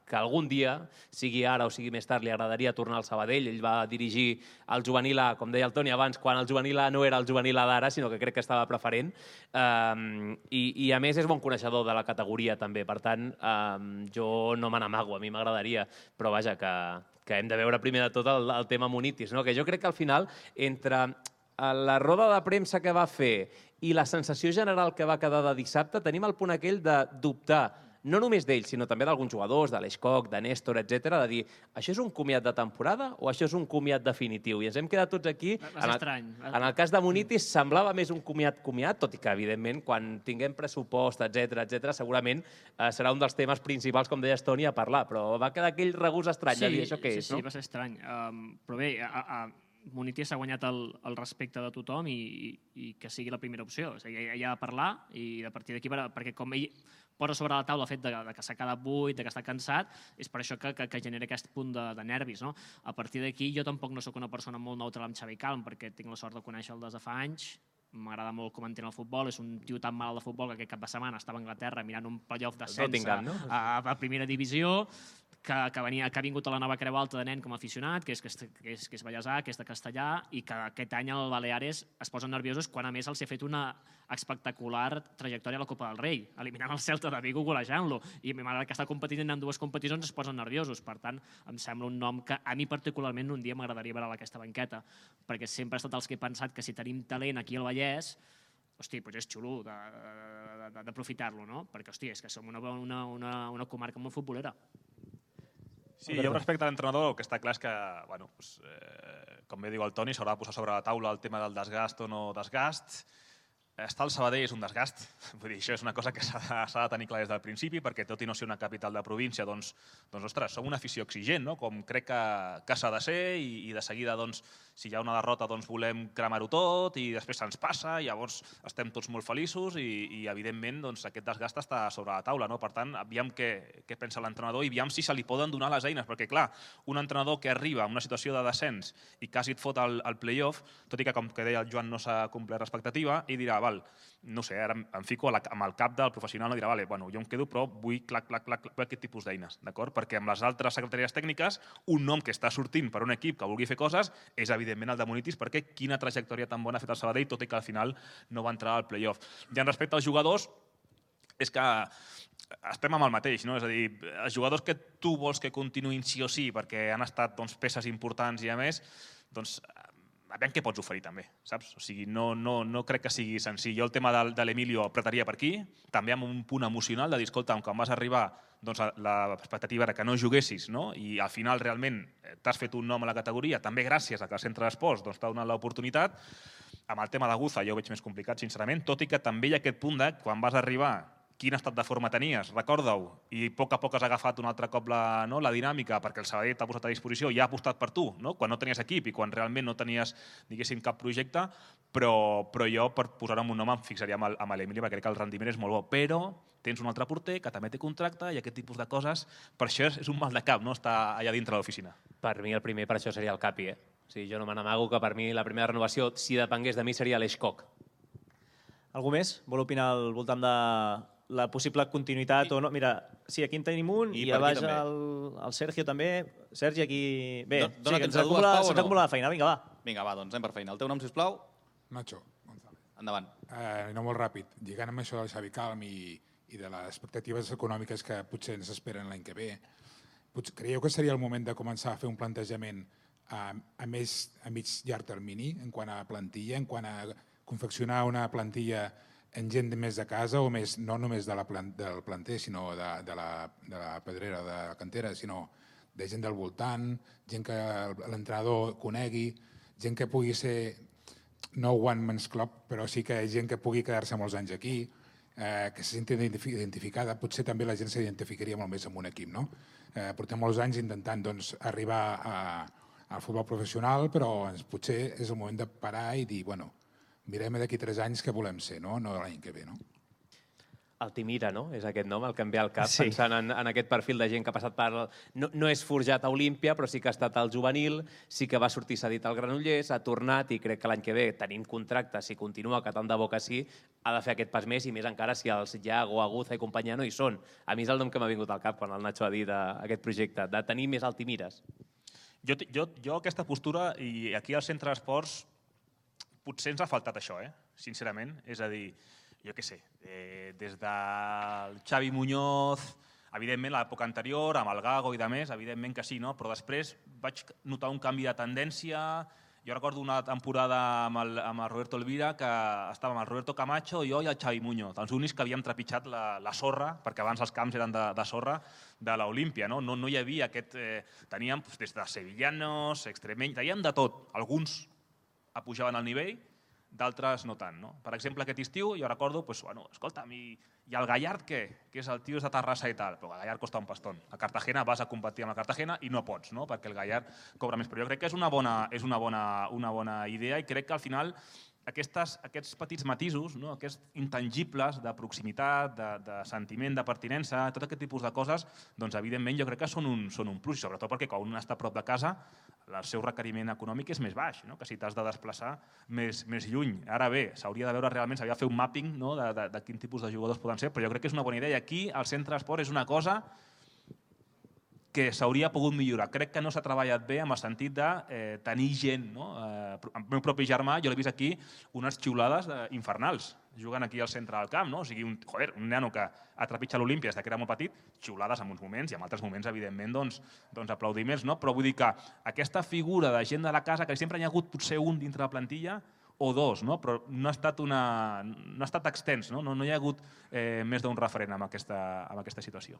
que algun dia, sigui ara o sigui més tard, li agradaria tornar al Sabadell. Ell va dirigir el juvenil A, com deia el Toni abans, quan el juvenil A no era el juvenil A d'ara, sinó que crec que estava preferent. I a més és bon coneixedor de la categoria també, per tant jo no me n'amago, a mi m'agradaria, però vaja, que hem de veure primer de tot el tema Munitis, que jo crec que al final, entre la roda de premsa que va fer i la sensació general que va quedar de dissabte, tenim el punt aquell de dubtar, no només d'ells, sinó també d'alguns jugadors, de l'Aleix Koch, de Néstor, etc., de dir, això és un comiat de temporada o això és un comiat definitiu? I ens hem quedat tots aquí. És estrany. En el cas de Munitis semblava més un comiat, tot i que, evidentment, quan tinguem pressupost, etc., segurament serà un dels temes principals, com deies, Toni, a parlar, però va quedar aquell regust estrany de dir això què és, no? Sí, va ser estrany. Però bé, Munitis ha guanyat el respecte de tothom i que sigui la primera opció. És a dir, ell ha de parlar i a partir d'aquí, perquè com ell posa sobre la taula el fet que s'ha quedat buit, que està cansat, és per això que genera aquest punt de nervis. A partir d'aquí jo tampoc no sóc una persona molt neutral amb Xavi Calm, perquè tinc la sort de conèixer-lo des de fa anys, m'agrada molt com entén el futbol, és un tio tan malalt de futbol que aquest cap de setmana estava a Anglaterra mirant un playoff d'ascens a primera divisió, que ha vingut a la nova Creu Alta de nen com a aficionat, que és ballesà, que és de castellà, i que aquest any el Baleares es posen nerviosos quan a més els ha fet una espectacular trajectòria a la Copa del Rei, eliminant el Celta de Vigo, golejant-lo, i malgrat que està competint en dues competicions es posen nerviosos. Per tant, em sembla un nom que a mi particularment un dia m'agradaria veure a aquesta banqueta, perquè sempre he estat els que he pensat que si tenim talent aquí al Vallès, hosti, doncs és xulo d'aprofitar-lo, no? Perquè, hosti, és que som una comarca molt futbolera. Sí, jo respecte a l'entrenador, el que està clar és que, com bé diu el Toni, s'haurà de posar sobre la taula el tema del desgast o no desgast. Estar al Sabadell és un desgast, vull dir, això és una cosa que s'ha de tenir clar des del principi, perquè tot i no ser una capital de província, doncs ostres, som una afició exigent, com crec que s'ha de ser, i de seguida, si hi ha una derrota, volem cremar-ho tot, i després se'ns passa, i llavors estem tots molt feliços, i evidentment aquest desgast està sobre la taula. Per tant, aviam què pensa l'entrenador i aviam si se li poden donar les eines, perquè clar, un entrenador que arriba en una situació de descens i quasi et fot el play-off, tot i que, com que deia el Joan, no s'ha complert l'expectativa, i dirà, no sé, ara em fico amb el cap del professional, no dirà, jo em quedo, però vull aquest tipus d'eines, d'acord? Perquè amb les altres secretaries tècniques, un nom que està sortint per un equip que vulgui fer coses és, evidentment, el de Munitis, perquè quina trajectòria tan bona ha fet el Sabadell, tot i que al final no va entrar al play-off. I en respecte als jugadors, és que estem amb el mateix, no? És a dir, els jugadors que tu vols que continuïn sí o sí, perquè han estat peces importants i a més, veure què pots oferir també, saps? O sigui, no crec que sigui senzill. Jo el tema de l'Emilio apretaria per aquí, també amb un punt emocional de dir, escolta, quan vas arribar, doncs l'expectativa era que no juguessis, no? I al final realment t'has fet un nom a la categoria, també gràcies a que el centre d'esports t'ha donat l'oportunitat. Amb el tema de Guza jo ho veig més complicat, sincerament, tot i que també hi ha aquest punt de quan vas arribar, quin estat de forma tenies, recorda-ho, i a poc has agafat un altre cop la dinàmica perquè el Sabadell t'ha posat a disposició i ha apostat per tu, quan no tenies equip i quan realment no tenies, diguéssim, cap projecte, però jo, per posar-ho en un nom, em fixaria amb l'Emili perquè crec que el rendiment és molt bo, però tens un altre porter que també té contracte i aquest tipus de coses, per això és un mal de cap, estar allà dintre de l'oficina. Per mi el primer per això seria el Capi, eh? O sigui, jo no me n'amago que per mi la primera renovació, si depengués de mi, seria l'Eix Coc. Algú més vol opinar al voltant de la possible continuïtat o no? Mira, sí, aquí en tenim un i a baix el Sergio també. Sergi, aquí... Bé, se'ns acumula la feina. Vinga, va. Vinga, va, doncs anem per feina. El teu nom, sisplau? Nacho González. Endavant. No molt ràpid. Lligant amb això del Xavi Calm i de les expectatives econòmiques que potser ens esperen l'any que ve, creieu que seria el moment de començar a fer un plantejament a mig llarg termini en quant a plantilla, en quant a confeccionar una plantilla en gent més de casa o més, no només del planter, sinó de la pedrera, de la cantera, sinó de gent del voltant, gent que l'entrenador conegui, gent que pugui ser no one man's club, però sí que gent que pugui quedar-se molts anys aquí, que se senti identificada. Potser també la gent s'identificaria molt més amb un equip, no? Portem molts anys intentant arribar al futbol professional, però potser és el moment de parar i dir, bueno, mirem d'aquí 3 anys què volem ser, no l'any que ve, no? Altimira, no? És aquest nom, el que em ve al cap, pensant en aquest perfil de gent que ha passat per... No és forjat a Olímpia, però sí que ha estat al juvenil, sí que va sortir cedit al Granollers, ha tornat i crec que l'any que ve, tenint contracte, si continua, que tant de bo que sí, ha de fer aquest pas més i més encara si els Iago, Aguza i companyia no hi són. A mi és el nom que m'ha vingut al cap quan el Nacho ha dit aquest projecte, de tenir més Altimires. Jo aquesta postura, i aquí al centre d'esports, potser ens ha faltat això, sincerament. És a dir, jo què sé, des del Xavi Muñoz, evidentment l'època anterior, amb el Gago i de més, evidentment que sí, però després vaig notar un canvi de tendència. Jo recordo una temporada amb el Roberto Elvira que estàvem el Roberto Camacho, jo i el Xavi Muñoz, els únics que havíem trepitjat la sorra, perquè abans els camps eren de sorra, de l'Olímpia. No hi havia aquest... Teníem des de sevillanos, extremenys, teníem de tot. Alguns pujaven al nivell, d'altres no tant. Per exemple, aquest estiu jo recordo, escolta'm, i el Gallard què? Que és el tio de Terrassa i tal, però el Gallard costa un pastón. A Cartagena vas a competir amb la Cartagena i no pots, perquè el Gallard cobra més. Però jo crec que és una bona idea i crec que al final aquests petits matisos, aquests intangibles de proximitat, de sentiment de pertinença, tot aquest tipus de coses, doncs evidentment jo crec que són un plus, sobretot perquè quan un està a prop de casa el seu requeriment econòmic és més baix, que si t'has de desplaçar més lluny. Ara bé, s'hauria de veure realment, s'hauria de fer un mapping de quin tipus de jugadors poden ser, però jo crec que és una bona idea i aquí el centre d'esport és una cosa que s'hauria pogut millorar. Crec que no s'ha treballat bé amb el sentit de tenir gent. El meu propi germà, jo l'he vist aquí, unes xiulades infernals, jugant aquí al centre del camp. O sigui, un nano que ha trepitjat l'Olímpia des que era molt petit, xiulades en uns moments i en altres moments, evidentment, aplaudiments. Però vull dir que aquesta figura de gent de la casa, que sempre hi ha hagut potser un dintre la plantilla, o dos, però no ha estat extens, no hi ha hagut més d'un referent en aquesta situació.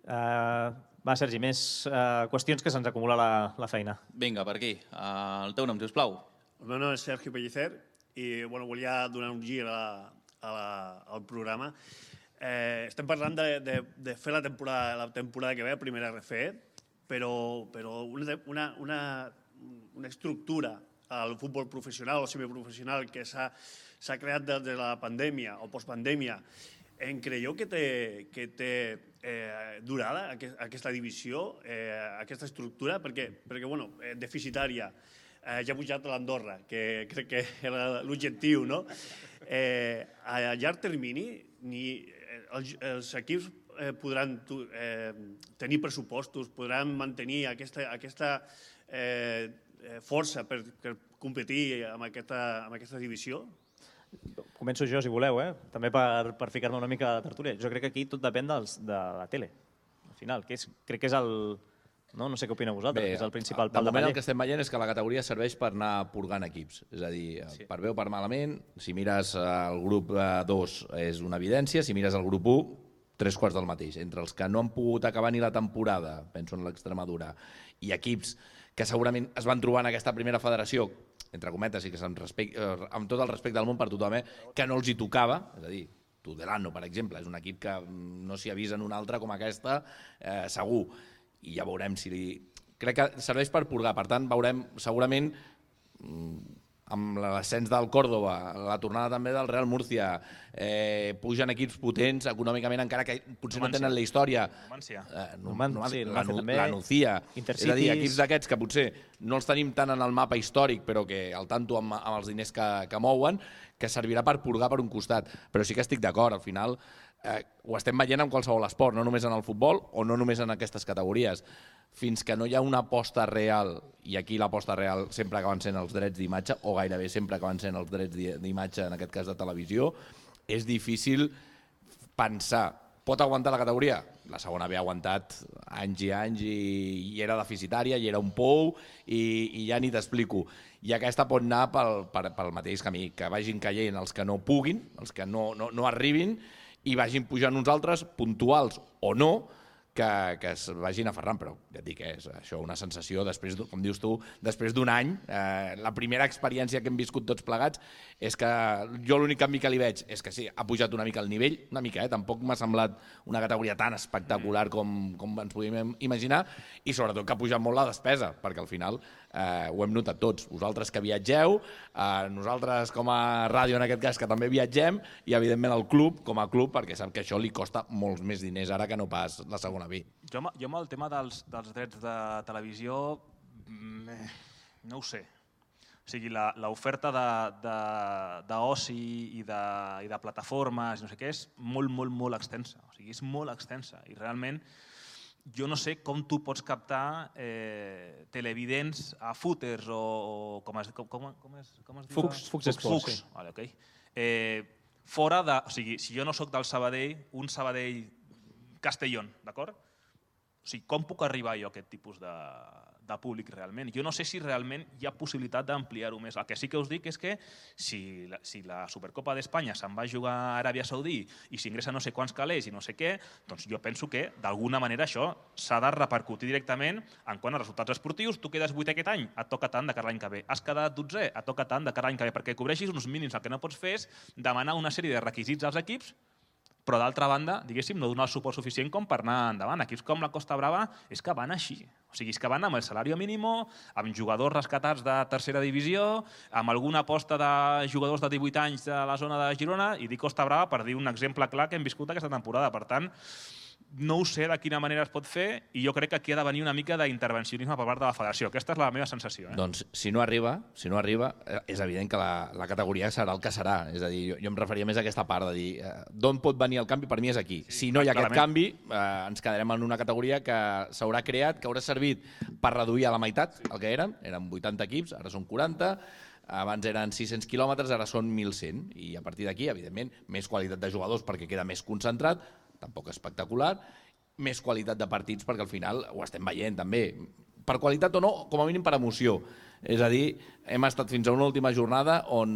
Va, Sergi, més qüestions que se'ns acumula la feina. Vinga, per aquí. El teu nom, sisplau. El meu nom és Sergio Pellicer i volia donar un gir al programa. Estem parlant de fer la temporada que ve, la primera RFE, però una estructura al futbol professional o semiprofessional que s'ha creat des de la pandèmia o postpandèmia. Creieu que té durada aquesta divisió, aquesta estructura? Perquè, deficitària. Ja ha pujat l'Andorra, que crec que era l'objectiu, no? A llarg termini, els equips podran tenir pressupostos, podran mantenir aquesta força per competir amb aquesta divisió? Començo jo, si voleu, també per ficar-me una mica a la tertúlia. Jo crec que aquí tot depèn de la tele, al final. Crec que és No sé què opineu vosaltres, que és el principal de pal de moment paller. el que estem veient és que la categoria serveix per anar purgant equips. És a dir, per bé o per malament, si mires el grup 2 és una evidència, si mires el grup 1, 3/4 del mateix. Entre els que no han pogut acabar ni la temporada, penso en l'Extremadura, i equips que segurament es van trobar en aquesta primera federació, entre cometes, i que amb tot el respecte del món per tothom, que no els hi tocava, és a dir, Tudelano, per exemple, és un equip que no s'hi avisa en una altra com aquesta, segur. I ja veurem si... Crec que serveix per purgar, per tant, veurem segurament amb l'ascens del Córdoba, la tornada també del Real Murcia, pugen equips potents econòmicament, encara que potser no tenen la història. La Nucía. És a dir, equips d'aquests que potser no els tenim tant en el mapa històric, però que al tanto amb els diners que mouen, que servirà per purgar per un costat. Però sí que estic d'acord, al final ho estem veient en qualsevol esport, no només en el futbol o no només en aquestes categories. Fins que no hi ha una aposta real, i aquí l'aposta real sempre acaben sent els drets d'imatge, o gairebé sempre acaben sent els drets d'imatge, en aquest cas de televisió, és difícil pensar. Pot aguantar la categoria? La segona B ha aguantat anys i anys i era deficitària, i era un pou, i ja ni t'explico. I aquesta pot anar pel mateix camí, que vagin caient els que no puguin, els que no arribin, i vagin pujant uns altres, puntuals o no, que es vagin aferrant, però ja et dic, és això una sensació, després, com dius tu, després d'un any, la primera experiència que hem viscut tots plegats és que jo l'únic canvi que li veig és que sí, ha pujat una mica el nivell, una mica, tampoc m'ha semblat una categoria tan espectacular com ens podíem imaginar, i sobretot que ha pujat molt la despesa, perquè al final ho hem notat tots, vosaltres que viatgeu, nosaltres com a ràdio en aquest cas que també viatgem, i evidentment el club com a club, perquè sap que això li costa molts més diners ara que no pas la segona B. Jo amb el tema dels drets de televisió no ho sé. O sigui, l'oferta d'oci i de plataformes no sé què és molt, molt, molt extensa. O sigui, és molt extensa i realment jo no sé com tu pots captar televidents a footers o com es diu? Fox Sports. Vale, ok. Fora de... O sigui, si jo no sóc del Sabadell, un Sabadell Castellón, d'acord? O sigui, com puc arribar jo a aquest tipus de públic realment? Jo no sé si realment hi ha possibilitat d'ampliar-ho més. El que sí que us dic és que si la Supercopa d'Espanya se'n va jugar a Aràbia Saudí i s'ingressa no sé quants calés i no sé què, doncs jo penso que d'alguna manera això s'ha de repercutir directament en quant a resultats esportius. Tu quedes 8è aquest any, et toca tant de cara l'any que ve. Has quedat 12è, et toca tant de cara l'any que ve, perquè cobreixis uns mínims. El que no pots fer és demanar una sèrie de requisits als equips, però d'altra banda, diguéssim, no donar el suport suficient com per anar endavant. Equips com la Costa Brava és que van així. O sigui, és que van amb el salari mínim, amb jugadors rescatats de tercera divisió, amb alguna aposta de jugadors de 18 anys de la zona de Girona, i dic Costa Brava per dir un exemple clar que hem viscut aquesta temporada. Per tant, no ho sé de quina manera es pot fer, i jo crec que aquí ha de venir una mica d'intervencionisme per part de la federació. Aquesta és la meva sensació. Doncs si no arriba, és evident que la categoria serà el que serà. És a dir, jo em referia més a aquesta part de dir d'on pot venir el canvi, per mi és aquí. Si no hi ha aquest canvi, ens quedarem en una categoria que s'haurà creat, que haurà servit per reduir a la meitat el que eren 80 equips, ara són 40, abans eren 600 quilòmetres, ara són 1.100, i a partir d'aquí, evidentment, més qualitat de jugadors perquè queda més concentrat, tampoc espectacular, més qualitat de partits perquè al final ho estem veient també, per qualitat o no, com a mínim per emoció. És a dir, hem estat fins a una última jornada on,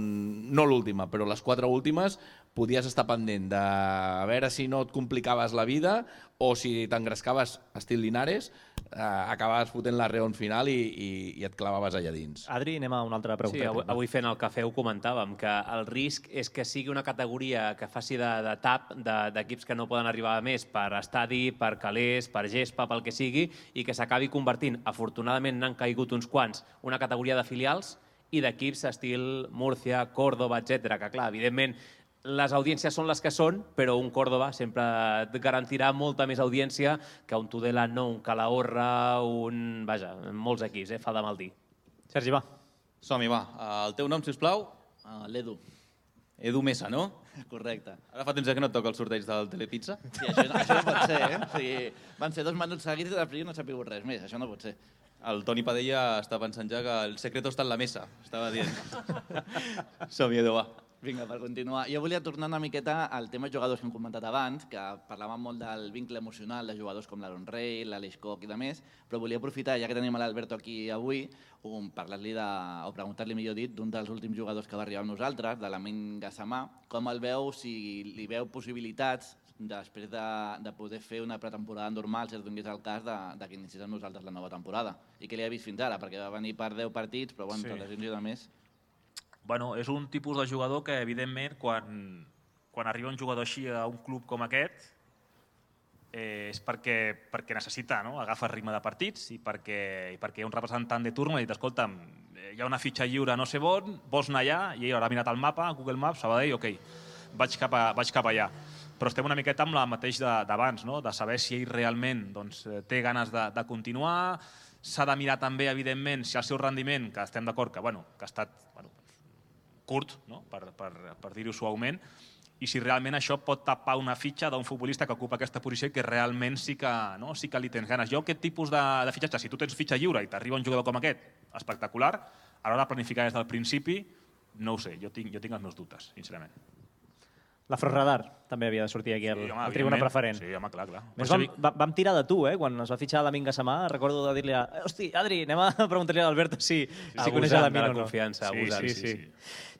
no l'última, però les 4 últimes, podies estar pendent de a veure si no et complicaves la vida o si t'engrescaves estil Linares, acabaves fotent la reon final i et clavaves allà dins. Adri, anem a una altra pregunta. Sí, avui fent el cafè ho comentàvem, que el risc és que sigui una categoria que faci de tap d'equips que no poden arribar a més per estadi, per calés, per gespa, pel que sigui, i que s'acabi convertint, afortunadament n'han caigut uns quants, una categoria de filials i d'equips estil Múrcia, Córdoba, etc. Que clar, evidentment, les audiències són les que són, però un Córdoba sempre et garantirà molta més audiència que un Tudelano, un Calahorra, vaja, molts equips, fa de mal dir. Sergi, va. Som-hi, va. El teu nom, sisplau? L'Edu. Edu Mesa, no? Correcte. Ara fa temps que no et toca el sorteig del Telepizza? Sí, això no pot ser, O sigui, van ser 2 minuts seguits i després no he sabut res més, això no pot ser. El Toni Padella està pensant ja que el secreto està en la mesa, estava dient. Som-hi, Edu, va. Vinga, per continuar. Jo volia tornar una miqueta al tema jugadors que hem comentat abans, que parlàvem molt del vincle emocional de jugadors com l'Aaron Rey, l'Aleix Koch i de més, però volia aprofitar, ja que tenim l'Alberto aquí avui, parlar-li o preguntar-li, millor dit, d'un dels últims jugadors que va arribar amb nosaltres, de l'Amin Gassama, com el veu, si li veu possibilitats després de poder fer una pretemporada normal, si es donés el cas de que iniciés amb nosaltres la nova temporada. I què li ha vist fins ara? Perquè va venir per 10 partits, però bueno, per lesions i de més... Bueno, és un tipus de jugador que, evidentment, quan arriba un jugador així a un club com aquest, és perquè necessita agafar el ritme de partits i perquè hi ha un representant de turno i ha dit, escolta'm, hi ha una fitxa lliure no sé on, vols anar allà? I ell haurà mirat el mapa, Google Maps, Sabadell, ok, vaig cap allà. Però estem una miqueta amb la mateix d'abans, de saber si ell realment té ganes de continuar. S'ha de mirar també, evidentment, si el seu rendiment, que estem d'acord que ha estat curt, per dir-ho suaument, i si realment això pot tapar una fitxa d'un futbolista que ocupa aquesta posició i que realment sí que li tens ganes. Jo aquest tipus de fitxatge, si tu tens fitxa lliure i t'arriba un jugador com aquest, espectacular, a l'hora de planificar des del principi, no ho sé, jo tinc els meus dubtes, sincerament. L'Afroradar també havia de sortir aquí al tribuna preferent. Sí, home, clar. Vam tirar de tu, quan es va fitxar l'Amin Gassama. Recordo de dir-li, hosti, Adri, anem a preguntar-li a l'Alberto si coneix l'Amin o no. Sí.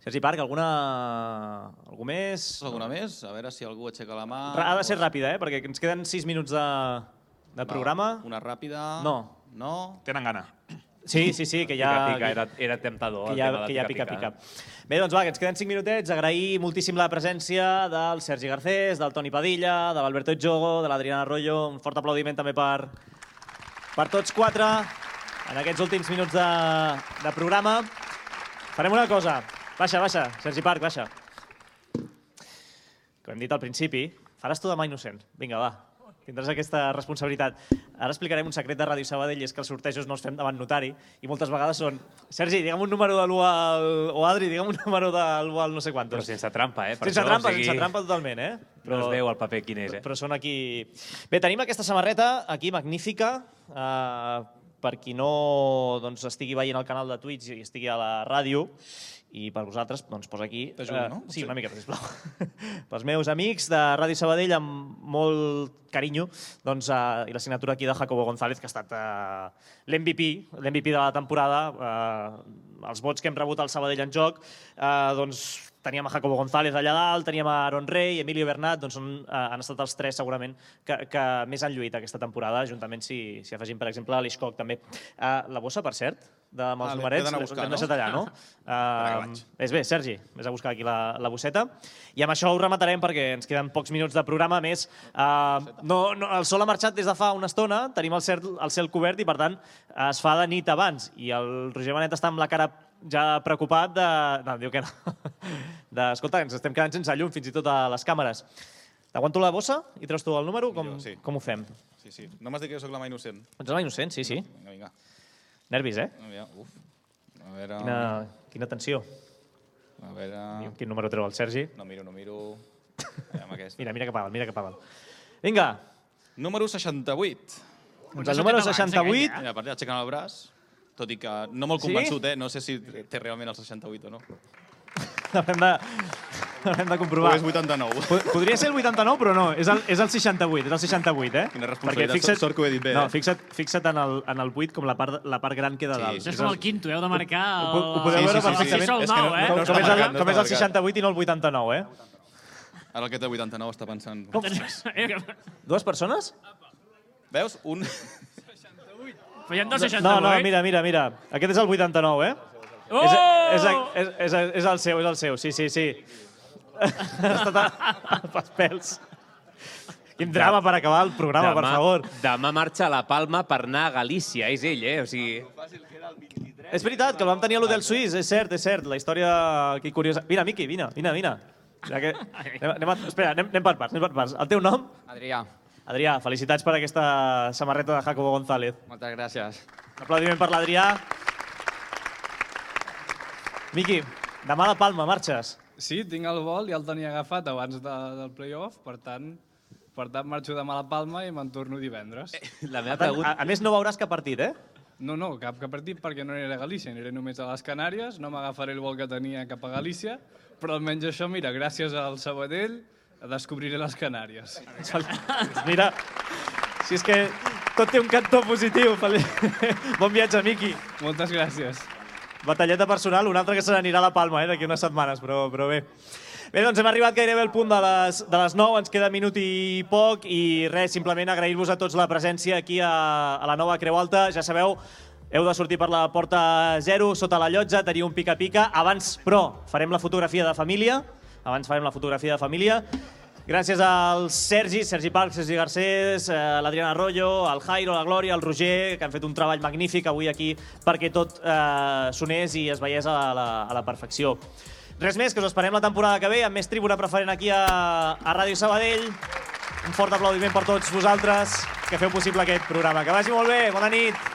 Sergi Parc, algú més? Alguna més? A veure si algú aixeca la mà. Ha de ser ràpida, perquè ens queden 6 minuts de programa. Una ràpida? No. Tenen gana. Sí, que ja... Era temptador. Que ja pica. Bé, doncs va, que ens queden 5 minutets. Agrair moltíssim la presència del Sergi Garcés, del Toni Padilla, de l'Alberto Etxogo, de l'Adriana Arroyo. Un fort aplaudiment també per tots 4 en aquests últims minuts de programa. Farem una cosa. Baixa, Sergi Parc, baixa. Com hem dit al principi, faràs tu de mà innocent. Vinga, va. Tindràs aquesta responsabilitat. Ara explicarem un secret de Ràdio Sabadell, i és que els sortejos no els fem davant notari, i moltes vegades són Sergi, digue'm un número de l'1 al... o Adri, digue'm un número de l'1 al no sé quantos. Però sense trampa, Sense trampa totalment, No es veu el paper quin és, Però són aquí... Bé, tenim aquesta samarreta aquí, magnífica, per qui no estigui veient el canal de Twitch i estigui a la ràdio, i per vosaltres, doncs, posa aquí... T'ajudo, no? Sí, una miqueta, sisplau. Pels meus amics de Ràdio Sabadell, amb molt carinyo, i la signatura aquí de Jacobo González, que ha estat l'MVP de la temporada. Els vots que hem rebut al Sabadell en joc, teníem a Jacobo González allà dalt, teníem a Aaron Rey, Emilio Bernat, han estat els 3 segurament que més han lluit aquesta temporada, juntament si afegim, per exemple, l'Aleix Koch també. La bossa, per cert, amb els numerets, l'hem deixat allà, no? És bé, Sergi, vés a buscar aquí la bosseta. I amb això ho rematarem perquè ens queden pocs minuts de programa. A més, el sol ha marxat des de fa una estona, tenim el cel cobert i, per tant, es fa de nit abans. I el Roger Benet està amb la cara ja preocupat no, diu que no. Escolta, ens estem quedant sense llum, fins i tot a les càmeres. T'aguanto la bossa i treus tu el número? Com ho fem? Sí. No m'has dit que jo soc la mà innocent. Ets la mà innocent? Sí. Vinga. Nervis, Uf. A veure... Quina tensió. A veure... Quin número treu el Sergi? No miro. Mira cap a dalt. Vinga. Número 68. Doncs el número 68... Mira, per allà aixecant el braç, tot i que no molt convençut, no sé si té realment el 68 o no. Haurem de comprovar. O és 89. Podria ser el 89, però no, és el 68, Quina responsabilitat, sort que ho he dit bé. No, fixa't en el 8 com la part gran queda dalt. Això és com el quinto, heu de marcar... Ho podeu veure perfectament. Com és el 68 i no el 89, Ara el que té 89 està pensant... Dues persones? Veus? Un... Però hi ha 268. No, mira. Aquest és el 89, És el seu, sí. Ha estat pels pèls. Quin drama per acabar el programa, per favor. Demà marxa a La Palma per anar a Galícia, és ell, O sigui... És veritat, que el vam tenir a l'Hotel Suís, és cert. La història aquí curiosa... Vine, Miqui, vine. Espera, anem per parts. El teu nom? Adrià, felicitats per aquesta samarreta de Jacobo González. Moltes gràcies. Un aplaudiment per l'Adrià. Miqui, demà a La Palma, marxes? Sí, tinc el vol, ja el tenia agafat abans del play-off, per tant marxo demà a La Palma i me'n torno divendres. A més, no veuràs cap partit, No, cap partit perquè no aniré a Galícia, aniré només a les Canàries, no m'agafaré el vol que tenia cap a Galícia, però almenys això, mira, gràcies al Sabadell, descobriré les Canàries. Mira, si és que tot té un cantó positiu. Bon viatge, Miqui. Moltes gràcies. Batalleta personal, un altre que se n'anirà a la Palma d'aquí unes setmanes, però bé. Bé, doncs hem arribat gairebé al punt de les 9, ens queda minut i poc i res, simplement agrair-vos a tots la presència aquí a la nova Creu Alta. Ja sabeu, heu de sortir per la porta 0, sota la llotja, teniu un pica-pica. Abans, però, farem la fotografia de família. Gràcies als Sergi Parc, Sergi Garcés, l'Adriana Arroyo, el Jairo, la Glòria, el Roger, que han fet un treball magnífic avui aquí perquè tot sonés i es veiés a la perfecció. Res més, que us esperem la temporada que ve amb més tribuna preferent aquí a Ràdio Sabadell. Un fort aplaudiment per tots vosaltres que feu possible aquest programa. Que vagi molt bé, bona nit!